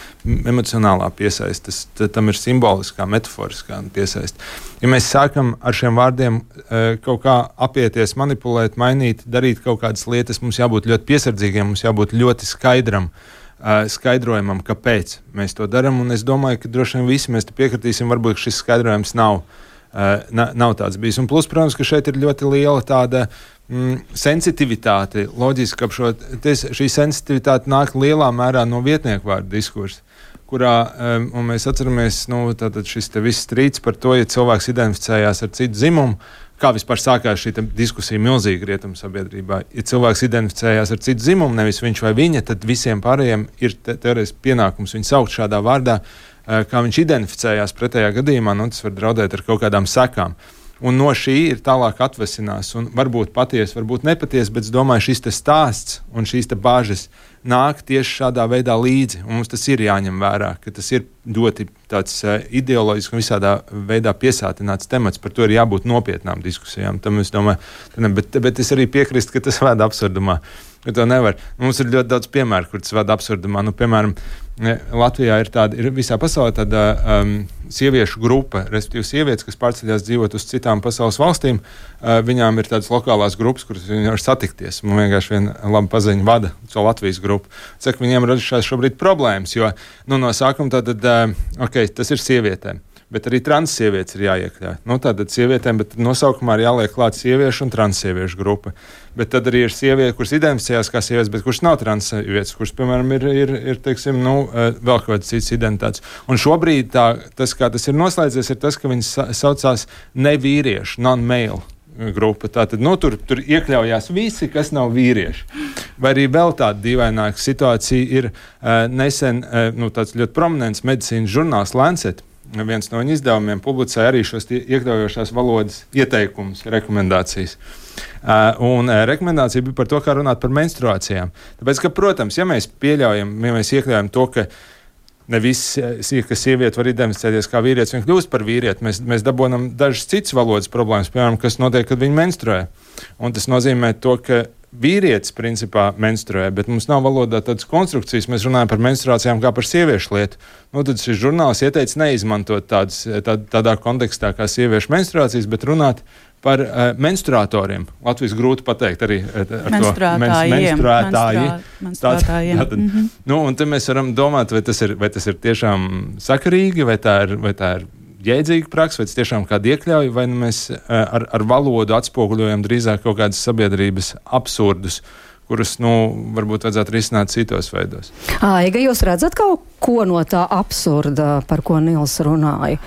emocionālā piesaiste. Tam ir simboliskā, metaforiskā piesaiste. Ja mēs sākam ar šiem vārdiem uh, kaut kā apieties, manipulēt, mainīt, darīt kaut kādas lietas, mums jābūt ļoti piesardzīgiem, mums jābūt ļoti skaidram, uh, skaidrojumam, kāpēc mēs to darām, un es domāju, ka droši vien visi mēs te piekritīsim, varbūt šis skaidrojums nav, uh, na, nav tāds bijis. Un plus, protams, ka šeit ir ļoti liela tāda Mm, sensitivitāte, loģiski, ka šo, tes, šī sensitivitāte nāk lielā mērā no vietnieku vārdu diskursa, kurā, um, un mēs atceramies, nu, tātad šis te viss strīds par to, ja cilvēks identificējās ar citu dzimumu, kā vispār sākās šī diskusija milzīga rietumu sabiedrībā. Ja cilvēks identificējās ar citu dzimumu, nevis viņš vai viņa, tad visiem pārējiem ir te, teorētiski pienākums viņu saukt šādā vārdā, uh, kā viņš identificējās pretējā gadījumā, nu, tas var draudēt ar kaut kādām sekām. Un no šī ir tālāk atvesinās, un varbūt patiesi, varbūt nepatiesi, bet es domāju, šis te stāsts un šīs te bāžas nāk tieši šādā veidā līdzi, un mums tas ir jāņem vērā, ka tas ir ļoti tāds uh, ideoloģiski un visādā veidā piesātināts temats, par to ir jābūt nopietnām diskusijām, tam es domāju, ne, bet, bet es arī piekrīstu, ka tas vēd absurdumā, ka to nevar. Mums ir ļoti daudz piemēru, kur tas vēd absurdumā, nu, piemēram, Latvijā ir tāda, ir visā pasaulē tāda um, sieviešu grupa, respektīvi sievietes, kas pārceļās dzīvot uz citām pasaules valstīm, uh, viņām ir tādas lokālās grupas, kuras viņi var satikties. Man vienkārši viena laba paziņa vada šo Latvijas grupu. Saka, viņiem radušās šobrīd problēmas, jo, nu, no sākuma tātad, uh, ok, tas ir sievietēm, bet arī transsievietes ir jāiekļauj. Nu, tātad sievietēm, bet nosaukumā ir jāliek klāt sieviešu un transsieviešu grupa. Bet tad arī ir sieviete, kuras identificējās kā sievietes, bet kuras nav transsievietes, kuras, piemēram, ir, ir, ir teiksim, nu, vēl kaut kāds cits identitātes. Un šobrīd tā, tas, kā tas ir noslēdzies, ir tas, ka viņas saucās nevīriešu, non-male grupa. Tātad, nu, tur, tur iekļaujās visi, kas nav vīrieši. Vai arī vēl tāda dīvaināka situācija ir uh, nesen, uh, nu, tāds ļoti prominents medicīnas žurnāls Lancet. Viens no viņa izdevumiem publicēja arī šos iekļaujošās valodas ieteikumus, rekomendācijas. Uh, un uh, rekomendācija bija par to, kā runāt par menstruācijām. Tāpēc, ka, protams, ja mēs pieļaujam, ja mēs iekļaujam to, ka ne visi, ka sieviete var identificēties kā vīrietis, viņa kļūst par vīrieti, mēs, mēs dabonam dažas citas valodas problēmas, piemēram, kas notiek, kad viņi menstruē. Un tas nozīmē to, ka vīrietis principā menstruē, bet mums nav valodā tādas konstrukcijas, mēs runājam par menstruācijām kā par sieviešu lietu. Nu, tad šis žurnāls ieteica neizmantot tādas, tā, tādā kontekstā kā sieviešu menstruācijas, bet runāt par uh, menstruatoriem. Latvijas grūti pateikt arī uh, ar menstruētājiem. to menstruētāji. Menstruētājiem. Tātad, mm-hmm. Nu, un te mēs varam domāt, vai tas ir, vai tas ir tiešām sakarīgi, vai tā ir, vai tā ir jēdzīga praksa, vai tas tiešām kādu iekļauj, vai nu mēs ar, ar valodu atspoguļojam drīzāk kaut kādas sabiedrības absurdus, kurus, nu, varbūt vajadzētu risināt citos veidos. Aiga, jūs redzat kaut ko no tā absurda, par ko Nils runāja?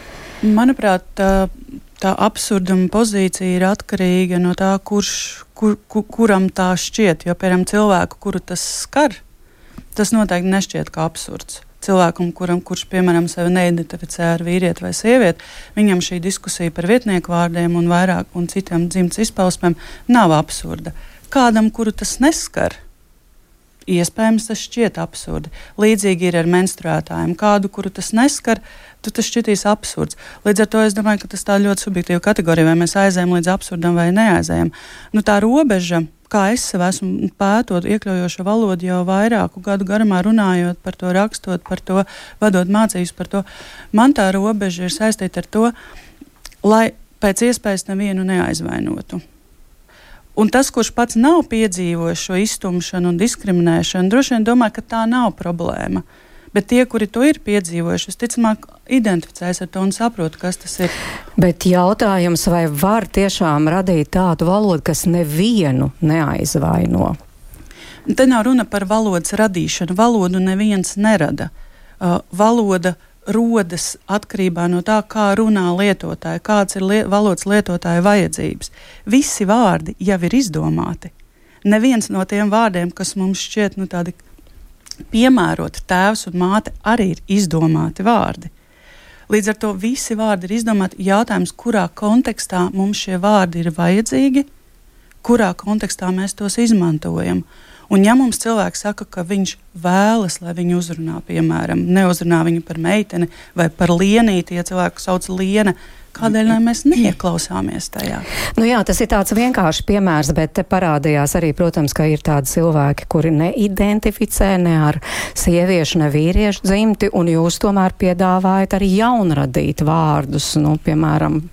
Manuprāt, tā, tā absurduma pozīcija ir atkarīga no tā, kurš, kur, kur, kuram tā šķiet, jo, piemēram, cilvēku, kuru tas skar, tas noteikti nešķiet kā absurds. cilvēkam, kuram, kurš, piemēram, sevi neidentificē ar vīrieti vai sievieti, viņam šī diskusija par vietnieku vārdiem un vairāk un citiem dzimtas izpausmēm nav absurda. Kādam, kuru tas neskar, iespējams, tas šķiet absurdi. Līdzīgi ir ar menstruētājiem. Kādu, kuru tas neskar, tu tas šķitīs absurds. Līdz ar to es domāju, ka tas tā ļoti subjektīva kategorija, vai mēs aizējam līdz absurdam vai neaizējam. Nu, tā robeža, kā es sev esmu pētot iekļaujošo valodu jau vairāku gadu garumā, runājot par to, rakstot par to, vadot mācības par to, man tā robeža ir saistīta ar to, lai pēc iespējas nevienu neaizvainotu. Un tas, kurš pats nav piedzīvojis šo iztumšanu un diskriminēšanu, droši vien domā, ka tā nav problēma. Bet tie, kuri to ir piedzīvojuši, visticamāk, identificēs ar to un saprot, kas tas ir. Bet jautājums, vai var tiešām radīt tādu valodu, kas nevienu neaizvaino? Te nav runa par valodas radīšanu. Valodu neviens nerada. Uh, valoda rodas atkarībā no tā, kā runā lietotāji, kāds ir li- valodas lietotāja vajadzības. Visi vārdi jau ir izdomāti. Neviens no tiem vārdiem, kas mums šķiet nu, tādi piemēroti, tēvs un māte, arī ir izdomāti vārdi. Līdz ar to visi vārdi ir izdomāti. Jautājums, kurā kontekstā mums šie vārdi ir vajadzīgi, kurā kontekstā mēs tos izmantojam. Un ja mums cilvēks saka, ka viņš vēlas, lai viņu uzrunā, piemēram, neuzrunā viņu par meiteni vai par lienīti, ja cilvēku sauc liena, kādēļ mēs neieklausāmies tajā? Nu jā, tas ir tāds vienkārši piemērs, bet te parādījās arī, protams, ka ir tādi cilvēki, kuri neidentificē ne ar sieviešu, ne vīriešu dzimti, un jūs tomēr piedāvājat arī jaunradīt vārdus, nu, piemēram,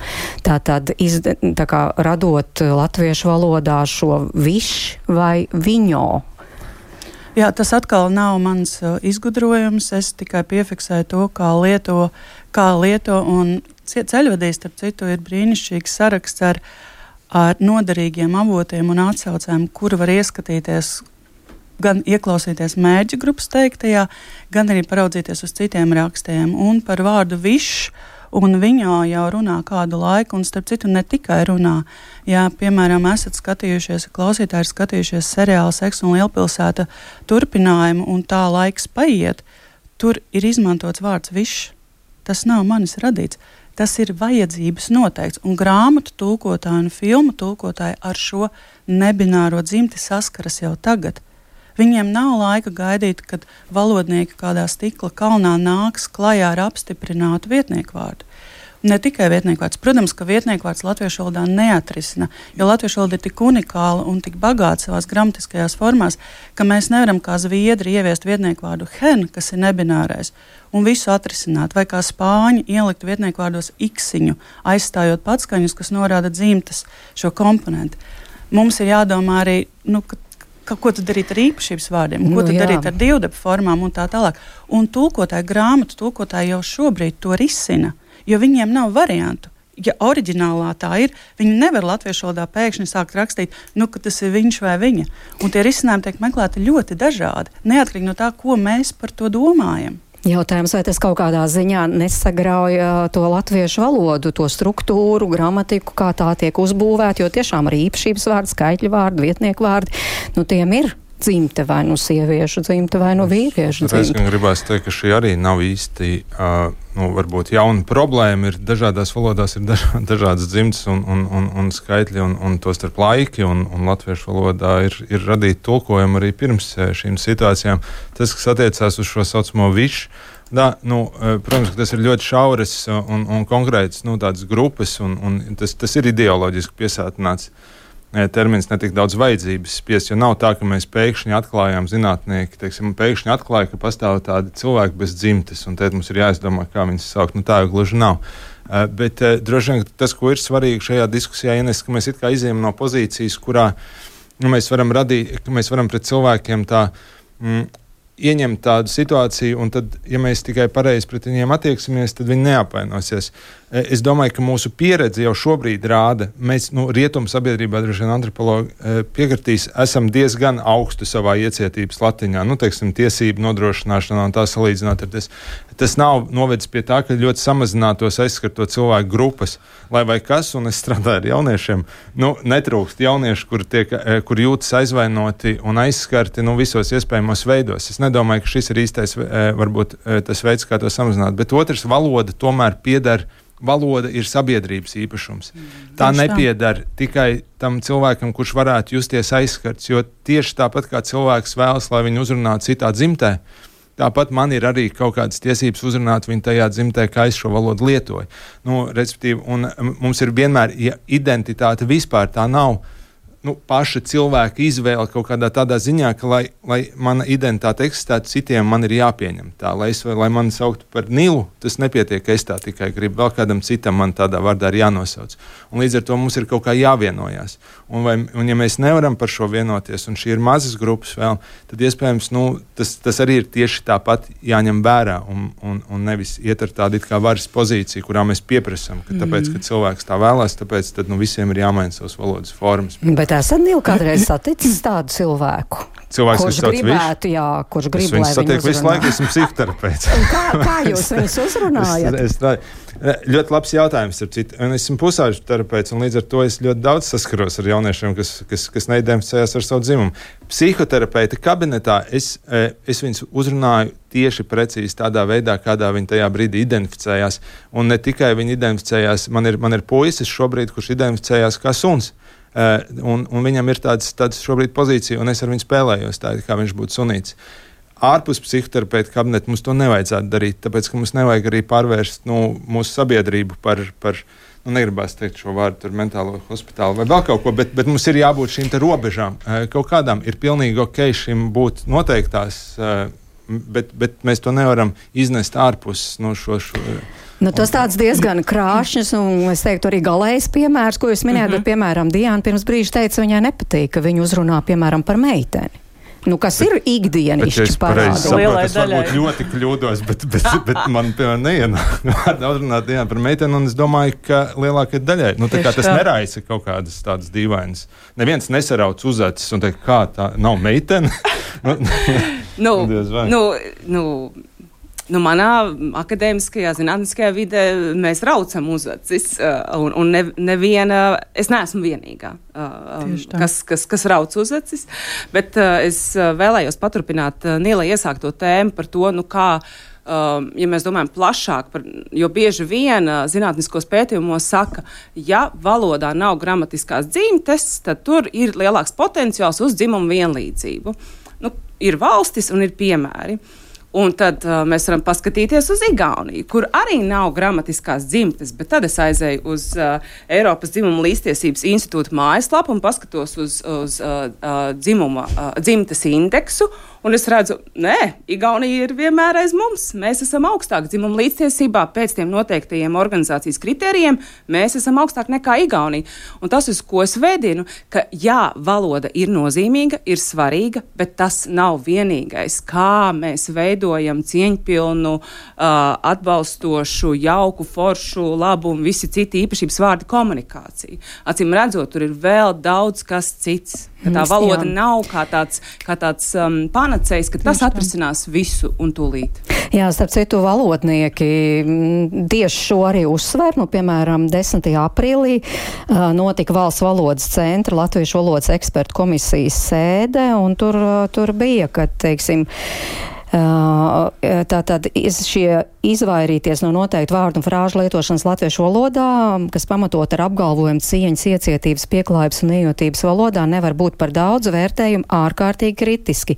tā tad izde, tā kā radot latviešu valodā šo viš vai viņo. Jā, tas atkal nav mans uh, izgudrojums, es tikai piefiksēju to, kā lieto, kā lieto un ceļvedīs, starp citu, ir brīnišķīgs saraksts ar, ar noderīgiem avotiem un atsaucēm, kuri var ieskatīties, gan ieklausīties mērķa grupas teiktajā, gan arī paraudzīties uz citiem rakstiem. Un par vārdu višs un viņā jau runā kādu laiku, un starp citu ne tikai runā. Ja, piemēram, esat skatījušies, klausītāji ir skatījušies seriālu Seks un Lielpilsēta turpinājumu, un tā laiks paiet, tur ir izmantots vārds višs. Tas nav manis radīts. Tas ir vajadzības noteikts, un grāmatu tulkotāji un filmu tulkotāji ar šo nebināro dzimti saskaras jau tagad. Viņiem nav laika gaidīt, kad valodnieki kādā stikla kalnā nāks klajā ar apstiprinātu vietnieku vārdu. Ne tikai vietnieku vārds. Protams, ka vietnieku vārds latviešu valodā neatrisina, jo latviešu valoda ir tik unikāla un tik bagāta savās gramatiskajās formās, ka mēs nevaram kā zviedri ieviest vietnieku vārdu hen, kas ir nebinārais, un visu atrisināt, vai kā spāņi ielikt vietnieku vārdos iksiņu, aizstājot patskaņus, kas norāda dzimtas šo komponentu. Mums ir jādomā arī, nu, ka Ka, ko tu darīt ar īpašības vārdiem, ko nu, tu jā. darīt ar divdepu formām un tā tālāk. Un tulkotāji, grāmatu tulkotāji jau šobrīd to risina, jo viņiem nav variantu. Ja oriģinālā tā ir, viņi nevar latviešu valodā pēkšņi sākt rakstīt, nu, ka tas ir viņš vai viņa. Un tie risinājumi tiek meklēti ļoti dažādi, neatkarīgi no tā, ko mēs par to domājam. Jautājums, vai tas kaut kādā ziņā nesagrauja to latviešu valodu, to struktūru, gramatiku, kā tā tiek uzbūvēta, jo tiešām arī īpašības vārdi, skaitļu vārdi, vietnieku vārdi, nu tiem ir dzimte vai nu sieviešu dzimte vai nu vīriešu dzimte. Es gan gribētu teikt, ka šī arī nav īsti, uh, nu, varbūt jauna problēma. Ir dažādās valodās ir daž, dažādas dzimtes un, un, un, un skaitļi un, un to starp laiki, un, un latviešu valodā ir, ir radīti tulkojumi arī pirms šīm situācijām. Tas, kas attiecās uz šo saucamo višu, da, nu, protams, ka tas ir ļoti šauras un, un konkrētas, nu, tādas grupas, un, un tas, tas ir ideoloģiski piesātināts termins, ne tik daudz vajadzības spiest, jo nav tā, ka mēs pēkšņi atklājām zinātnieki, teiksim, pēkšņi atklāja, ka pastāv tādi cilvēki bez dzimtes, un tad mums ir jāizdomā, kā viņus saukt. Nu, tā jau gluži nav. Uh, bet uh, droši vien tas, ko ir svarīgi šajā diskusijā, Ines, ka mēs it kā izējam no pozīcijas, kurā nu, mēs varam radīt, ka mēs varam pret cilvēkiem tā mm, ieņemt tādu situāciju, un tad, ja mēs tikai pareizi pret viņiem attieksimies, tad viņi neapvainosies. Es domāju, ka mūsu pieredze jau šobrīd rāda, mēs, nu, rietumu sabiedrībā, droši vien antropologi piekritīs, esam diezgan augstu savā iecietības latiņā, nu, teiksim, tiesību nodrošināšanā un tā salīdzināt ar tas. tas nav novedis pie tā, ka ļoti samazinātos aizskarto cilvēku grupas, lai vai kas, un es strādāju ar jauniešiem, nu, netrūkst jaunieši, kur, tiek, kur jūtas aizvainoti un aizskarti, nu, visos iespējamos veidos. Es nedomāju, ka šis ir īstais, varbūt, tas veids, kā to samazināt, bet otrs, valoda tomēr pieder. Valoda ir sabiedrības īpašums. Tā nepiedara tikai tam cilvēkam, kurš varētu justies aizskarts, jo tieši tāpat kā cilvēks vēlas, lai viņu uzrunātu citā dzimtē, tāpat man ir arī kaut kādas tiesības uzrunāt viņu tajā dzimtē, kā es šo valodu lietoju. Nu, respektīvi, un mums ir vienmēr ja identitāte vispār tā nav. Nu, paša cilvēka izvēle kaut kādā tādā ziņā, ka, lai, lai mana identitāte eksistētu, citiem man ir jāpieņem tā, lai, es, lai mani sauktu par Nilu, tas nepietiek, ka es tā tikai gribu, vēl kādam citam man tādā vārdā ir jānosauc. Un līdz ar to mums ir kaut kā jāvienojās. Un, vai, un ja mēs nevaram par šo vienoties, un šī ir mazas grupas vēl, tad iespējams, nu, tas, tas arī ir tieši tāpat jāņem vērā, un, un, un nevis iet ar tādu it kā varas pozīciju, kurā mēs pieprasam, ka tāpēc, ka cilvēks tā vēlās, tāpēc tad, nu, visiem ir jāmaina savas valodas formas. Bet esat Nīl kādreiz saticis tādu cilvēku? Cilvēks, kurš gribētu, jā, kurš grib, lai viņu uzrunā. Visu laiku esmu psihoterapeits. kā, kā jūs viņus uzrunājat? es, es, ļoti labs jautājums, ar citu. Un esmu pusauģu terapeits, un līdz ar to es ļoti daudz saskaros ar jauniešiem, kas, kas, kas neidentificējās ar savu dzimumu. Psihoterapeita kabinetā es, es viņus uzrunāju tieši precīzi tādā veidā, kādā viņi tajā brīdī identificējās. Un ne tikai viņi identificējās, man ir, man ir puisis šobrīd, kurš identificējās kā suns. Uh, un, un viņam ir tāds, tāds šobrīd pozīcija, un es ar viņu spēlējos tā, kā viņš būtu sunīts. Ārpus psihoterapeita kabineta mums to nevajadzētu darīt, tāpēc, ka mums nevajag arī pārvērst nu, mūsu sabiedrību par, par nu, negribās teikt šo vārdu, tur mentālo hospitālu vai vēl kaut ko, bet, bet mums ir jābūt šīm te robežām. Uh, kaut kādām ir pilnīgi ok šim būt noteiktās, uh, bet, bet mēs to nevaram iznest ārpus no šo... šo Nu, tas tāds diezgan krāšņs un, es teiktu, arī galējs piemērs, ko jūs minējat, mm-hmm. bet, piemēram, Diana pirms brīža teica, viņai nepatīk, ka viņu uzrunā, piemēram, par meiteni. Nu, kas bet, ir ikdienišķi parādījums. Es varbūt ļoti kļūdos, bet, bet, bet man, piemēram, neienāk uzrunāt Diana par meiteni, un es domāju, ka lielākai daļai, nu, tā kā tas neraisa kaut kādas tādas dīvainas. Neviens nesarauc uz acis un teikt, kā tā nav meitene? nu, nu, nu, Nu, manā akadēmiskajā, zinātniskajā vidē mēs raucam uz acis, un, un ne, neviena, es neesmu vienīgā, kas, kas, kas rauc uz acis, bet es vēlējos paturpināt Nīlai iesākto tēmu par to, nu kā, ja mēs domājam plašāk, par, jo bieži vien zinātniskos pētījumos saka, ja valodā nav gramatiskās dzimtes, tad tur ir lielāks potenciāls uz dzimumu vienlīdzību. Nu, ir valstis un ir piemēri. Un tad uh, mēs varam paskatīties uz Igauniju, kur arī nav gramatiskās dzimtes, bet tad es aizēju uz uh, Eiropas dzimuma līdztiesības institūta mājaslapu un paskatos uz, uz uh, uh, dzimuma, uh, dzimtes indeksu, un es redzu, nē, Igaunija ir vienmēr aiz mums. Mēs esam augstāk dzimuma līdztiesībā pēc tiem noteiktajiem organizācijas kritērijiem, mēs esam augstāk nekā Igaunija. Un tas, uz ko es vedinu, ka jā, valoda ir nozīmīga, ir svarīga, bet tas nav vienīgais, kā mēs veidojam cieņpilnu, uh, atbalstošu, jauku, foršu, labu un visi citi īpašības vārdi komunikāciju. Acīm redzot, tur ir vēl daudz kas cits. Ka tā valoda jā. nav kā tāds, kā tāds um, panacējs, ka tas atrisinās visu un tūlīt. Jā, starp citu, valodnieki tieši šo arī uzsver. Nu, piemēram, desmitajā aprīlī uh, notika Valsts valodas centra Latviešu valodas ekspertu komisijas sēde, un tur, uh, tur bija, ka, teiksim, Uh, tātad šie izvairīties no noteiktu vārdu un frāžu lietošanas latviešu valodā, kas pamatot ar apgalvojumu cieņas, iecietības, pieklājības un iejūtības valodā, nevar būt par daudz vērtējumu ārkārtīgi kritiski.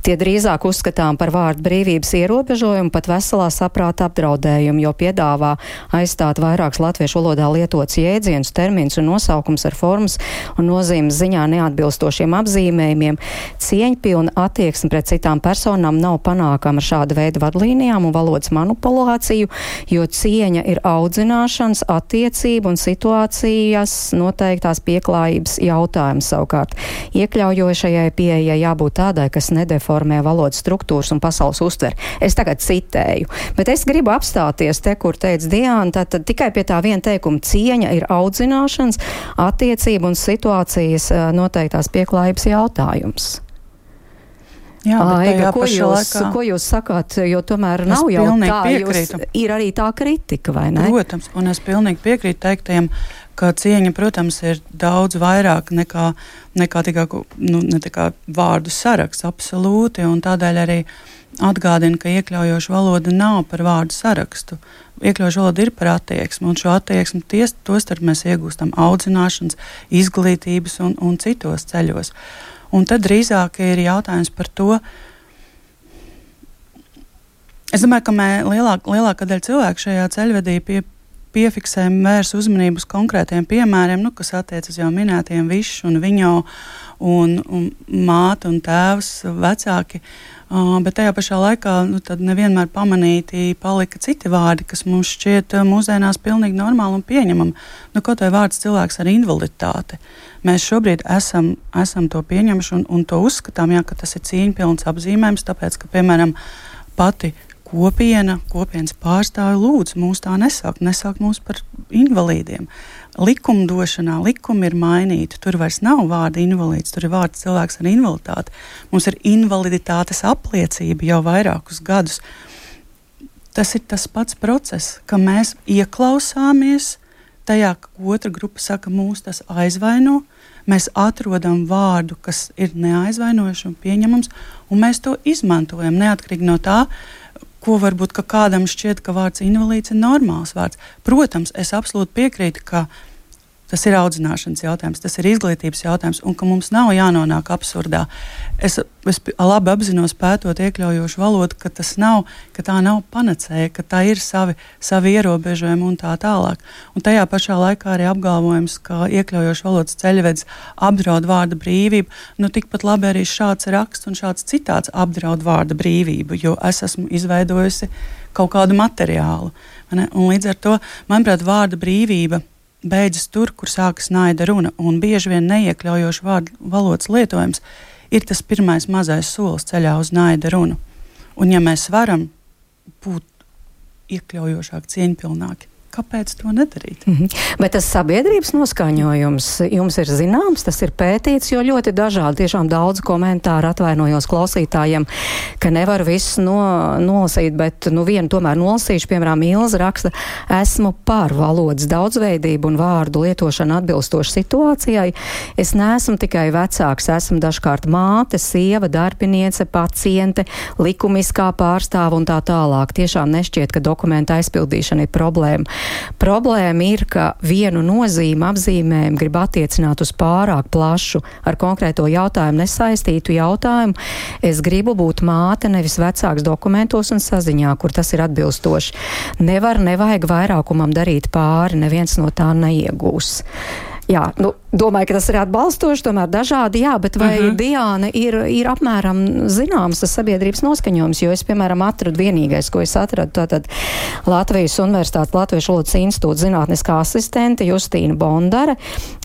Tie drīzāk uzskatām par vārdu brīvības ierobežojumu, pat veselā saprāta apdraudējumu, jo piedāvā aizstāt vairākus latviešu valodā lietots jēdzienus, terminus un nosaukums ar formas un nozīmes ziņā neatbilstošiem apzīmējumiem. Cieņpilna attieksme pret citām personām nav panākama ar šāda veida vadlīnijām un valodas manipulāciju, jo cieņa ir audzināšanas, attiecību un situācijas noteiktās pieklājības jautājums savukārt. Iekļaujošajai pieejai jābūt tādai, kas nedeformē valodas struktūras un pasaules uztveri. Es tagad citēju, bet es gribu apstāties te, kur teica Diana, tad, tad tikai pie tā viena teikuma cieņa ir audzināšanas, attiecību un situācijas noteiktās pieklājības jautājums. Jā, Aiga, ko, jūs, laikā... ko jūs sakāt, jo tomēr nav es jau tā, piekrītu. Jūs, ir arī tā kritika, vai ne? Protams, un es pilnīgi piekrītu teiktajiem, ka cieņa, protams, ir daudz vairāk nekā, nekā tikai nu, ne tikai vārdu saraksts, absolūti, un tādēļ arī atgādina, ka iekļaujoša valoda nav par vārdu sarakstu. Iekļaujoša valoda ir par attieksmi, un šo attieksmi ties, tostarp mēs iegūstam audzināšanas, izglītības un, un citos ceļos. Un tad drīzāk ir jautājums par to, es domāju, ka mē, lielāk, lielākā daļa cilvēku šajā ceļvedī pie, piefiksēm vērs uzmanību uz konkrētiem piemēriem, nu, kas attiecas jau minētiem Višs un Viņo un, un māte un tēvs, vecāki, uh, bet tajā pašā laikā nu, tad nevienmēr pamanīti palika citi vārdi, kas mums šķiet uh, mūsdienās pilnīgi normāli un pieņemami. Nu, kaut vai vārds cilvēks ar invaliditāti. Mēs šobrīd esam, esam to pieņemši un, un to uzskatām, jā, ka tas ir cieņpilns apzīmējums, tāpēc, ka, piemēram, pati kopiena, kopienas pārstāvi lūdzu mūs tā nesaukt, nesaukt mūs par invalīdiem. Likumdošanā likumi ir mainīti, tur vairs nav vārda invalīds, tur ir vārds cilvēks ar invaliditāti. Mums ir invaliditātes apliecība jau vairākus gadus. Tas ir tas pats process, ka mēs ieklausāmies tajā, ka otra grupa saka, mūs tas aizvaino, mēs atrodam vārdu, kas ir neaizvainojuši un pieņemams, un mēs to izmantojam neatkarīgi no tā, ko varbūt ka kādam šķiet, ka vārds invalīds ir normāls vārds. Protams, es absolūti piekrītu, ka tas ir audzināšanas jautājums, tas ir izglītības jautājums, un ka mums nav jānonāk absurdā. Es, es labi apzinos, pētot iekļaujošu valodu, ka tas nav, ka tā nav panacēja, ka tā ir savi, savi ierobežojumi un tā tālāk. Un tajā pašā laikā arī apgalvojums, ka iekļaujošu valodas ceļvedis apdraud vārda brīvību, nu tikpat labi arī šāds raksts un šāds citāts apdraud vārda brīvību, jo es esmu izveidojusi kaut kādu materiālu. Ne? Un līdz ar to, manuprāt, vārda brīvība beidzas tur, kur sākas naida runa, un bieži vien neiekļaujošu vārdu valodas lietojums ir tas pirmais mazais solis ceļā uz naida runu. Un ja mēs varam būt iekļaujošāki, cieņpilnāki, kāpēc to nedarīt? Mm-hmm. Bet tas sabiedrības noskaņojums jums ir zināms, tas ir pētīts, jo ļoti dažādi, tiešām daudz komentāru, atvainojos klausītājiem, ka nevar visu no, nolasīt, bet nu vienu tomēr nolasīšu, piemēram, Ilza raksta, esmu par valodas daudzveidību un vārdu lietošanu atbilstoši situācijai. Es neesmu tikai vecāks, esmu dažkārt māte, sieva, darbiniece, paciente, likumiskā pārstāva un tā tālāk. Tiešām nešķiet, ka dokumenta aizpildīšana ir problēma. Problēma ir, ka vienu nozīmi apzīmējumu grib attiecināt uz pārāk plašu ar konkrēto jautājumu nesaistītu jautājumu. Es gribu būt māte, nevis vecāks dokumentos un saziņā, kur tas ir atbilstoši. Nevar, nevajag vairākumam darīt pāri, neviens no tā neiegūs. Jā, nu, domāju, ka tas ir atbalstoši, tomēr dažādi, jā, bet vai uh-huh. Diāna ir, ir apmēram zināms tas sabiedrības noskaņojums, jo es, piemēram, atradu vienīgais, ko es atradu, tātad Latvijas Universitātes Latviešu valodas institūta zinātniskā asistente Justīna Bondare.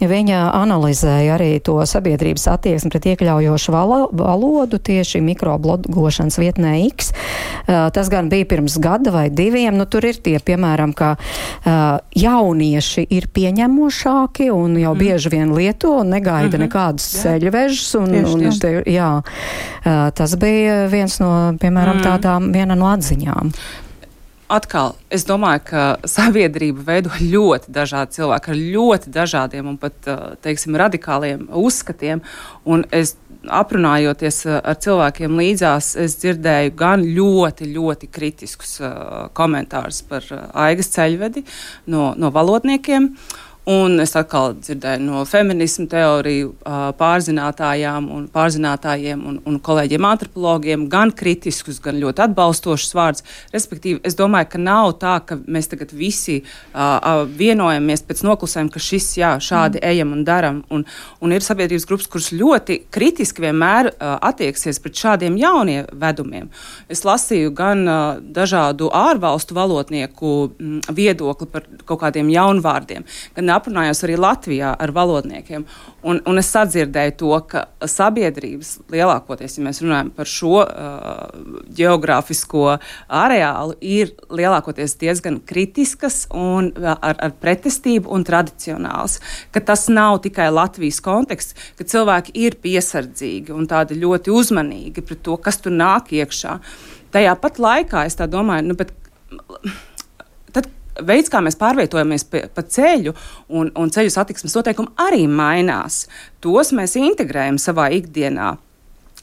Viņa analizēja arī to sabiedrības attieksmi pret iekļaujošu valo, valodu tieši mikroblogošanas vietnē X. Uh, tas gan bija pirms gada vai diviem, nu tur ir tie, piemēram, ka uh, jaunieši ir pieņemošāki un un jau bieži vien lieto un negaida uh-huh. nekādus ceļvežus. Un, un, te, jā, tas bija viens no, piemēram, mm. tādām, viena no atziņām. Atkal, es domāju, ka sabiedrība veido ļoti dažādi cilvēki ar ļoti dažādiem un pat, teiksim, radikāliem uzskatiem. Un es, aprunājoties ar cilvēkiem līdzās, es dzirdēju gan ļoti, ļoti kritiskus komentārus par Aigas ceļvedi no, no valodniekiem. Un es atkal dzirdēju no feminismu teoriju pārzinātājām un pārzinātājiem un, un kolēģiem antropologiem gan kritiskus, gan ļoti atbalstošus vārdus. Respektīvi, es domāju, ka nav tā, ka mēs tagad visi uh, vienojamies pēc noklusējuma, ka šis, jā, šādi mm. ejam un daram. Un, un ir sabiedrības grupas, kuras ļoti kritiski vienmēr uh, attieksies pret šādiem jauniem vedumiem. Es lasīju gan uh, dažādu ārvalstu valodnieku mm, viedokli par kaut kādiem jaunvārdiem, gan aprunājos arī Latvijā ar valodniekiem. Un, un es sadzirdēju to, ka sabiedrības lielākoties, ja mēs runājam par šo uh, geogrāfisko areālu, ir lielākoties diezgan kritiskas un ar, ar pretestību un tradicionāls. Ka tas nav tikai Latvijas konteksts, ka cilvēki ir piesardzīgi un tādi ļoti uzmanīgi pret to, kas tur nāk iekšā. Tajā pat laikā es tā domāju, nu, bet tad veids, kā mēs pārvietojamies pa, pa ceļu un, un ceļu satiksmes noteikumi arī mainās. Tos mēs integrējam savā ikdienā.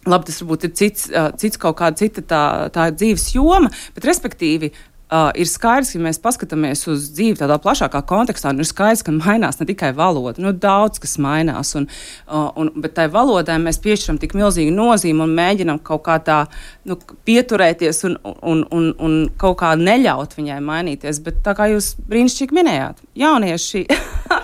Labi, tas varbūt ir cits, cits kaut kāda cita tā, tā dzīves joma, bet respektīvi Uh, ir skaidrs, ka mēs paskatāmies uz dzīvi tādā plašākā kontekstā, un ir skaidrs, ka mainās ne tikai valoda, nu daudz kas mainās, un, uh, un, bet tai valodai mēs piešķiram tik milzīgu nozīmi un mēģinam kaut kā tā nu, pieturēties un, un, un, un kaut kā neļaut viņai mainīties, bet tā kā jūs brīnišķīgi minējāt, jaunieši,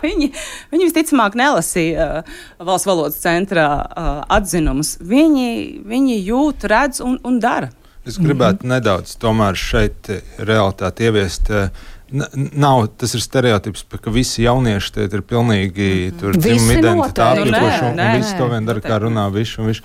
viņi, viņi visticamāk nelasīja uh, valsts valodas centrā uh, atzinumus, viņi, viņi jūt, redz un, un dara. Es gribētu mm-hmm. nedaudz tomēr šeit realitāti ieviest. N- nav, tas ir stereotips, ka visi jaunieši te ir pilnīgi tur dzimuma identitāti, nu, un, un nē, visi to vien dara, kā runā viši un viši.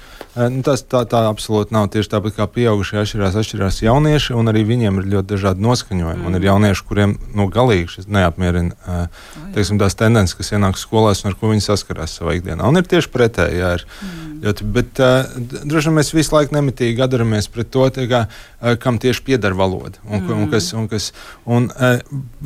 Nu, tas tā, tā absolūti nav. Tieši tāpat kā pieaugušie atšķirās, atšķirās jaunieši, un arī viņiem ir ļoti dažādi noskaņojumi. Mm. Un ir jaunieši, kuriem nu, galīgi šis neapmierina teiksim, tās tendences, kas ienāk skolās un ar ko viņi saskarās savā ikdienā. Un ir tieši pretēji, jā, ir mm. ļoti, bet uh, droši vien mēs visu laiku nemitīgi atdaramies pret to, tā kā, uh, kam tieši pieder valoda. Un, mm. un kas, un kas, un, uh,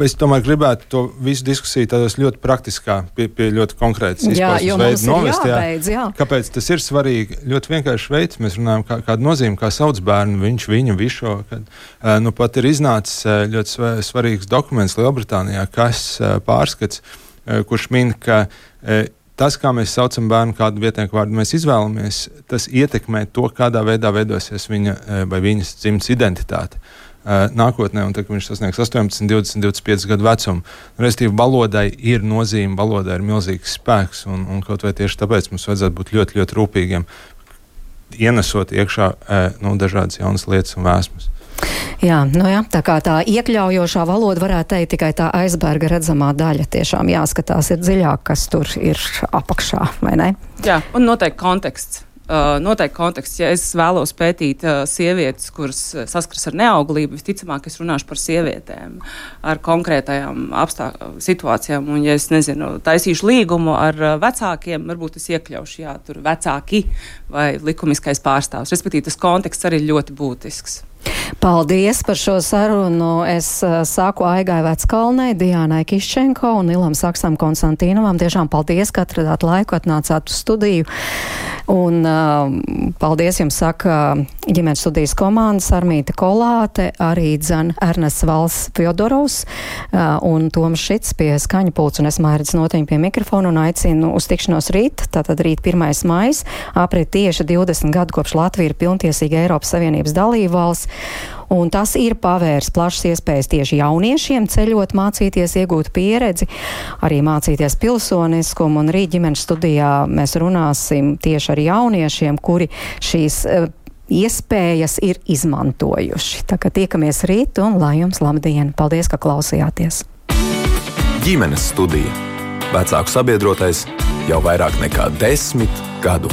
es tomēr gribētu to visu diskusiju tādos ļoti praktiskā, pie, pie ļoti konkrētas izpausmes veidu novest. Jābeidz, jā. Kāpēc tas ir svarīgi? Ļoti vienkārši veids, mēs runājam, kā, kādu nozīmi, kā sauc bērnu, viņš, viņu, višo. Kad, uh, nu pat ir iznācis uh, ļoti svarīgs dokuments Lielbritānijā, kas uh, pārskats, uh, kurš min, ka uh, tas, kā mēs saucam bērnu, kādu vietnieku vārdu mēs izvēlamies, tas ietekmē to, kādā veidā veidosies viņa vai viņas dzimtas identitāte uh, nākotnē, un tad, kad viņš sasniegs astoņpadsmit, divdesmit, divdesmit pieci gadu vecumu. Restīvi, valodai ir nozīme, valodai ir milzīgs spēks, un, un kaut vai tieši tāpēc mums vajadzētu būt ļoti, ļoti rūpīgiem, ienesot iekšā uh, nu, dažādas jaunas lietas un vēsmas. Jā, nu jā, tā kā tā iekļaujošā valoda varētu teikt tikai tā aizberga redzamā daļa. Tiešām jāskatās ir dziļāk, kas tur ir apakšā, vai ne? Jā, un noteikti konteksts. Uh, noteikti konteksts. Ja es vēlos pētīt uh, sievietes, kuras saskaras ar neauglību, visticamāk es runāšu par sievietēm ar konkrētajām apstā- situācijām. Un, ja es nezinu, taisīšu līgumu ar uh, vecākiem, varbūt es iekļaušu, jā, tur vecāki vai likumiskais pārstāvs. Respektīvi, tas konteksts arī ļoti būtisks. Paldies par šo sarunu. Es uh, saku Aigai Veckalnei, Diānai Kiščenko un Ilam Saksam Konstantīnovam. Tiešām paldies, ka atradāt laiku, atnācāt uz studiju. Un uh, paldies jums saka ģimenes studijas komandas Armīta Kolāte, arī dzan Ernests Vals Fjodorovs uh, un Toms Šits pie skaņa pults un es Mairits Notiņa pie mikrofona un aicinu uz tikšanos rīt. Tātad rīt pirmais maijs, aprit tieši divdesmit gadu kopš Latvija ir pilntiesīga Eiropas Savienības dalībvalsts. Un tas ir pavērs plašas iespējas tieši jauniešiem ceļot, mācīties, iegūt pieredzi, arī mācīties pilsoniskumu. Un rīt ģimenes studijā mēs runāsim tieši ar jauniešiem, kuri šīs uh, iespējas ir izmantojuši. Tā kā tiekamies rīt un lai jums labdien. Paldies, ka klausījāties. Ģimenes studija. Vecāku sabiedrotais jau vairāk nekā desmit gadu.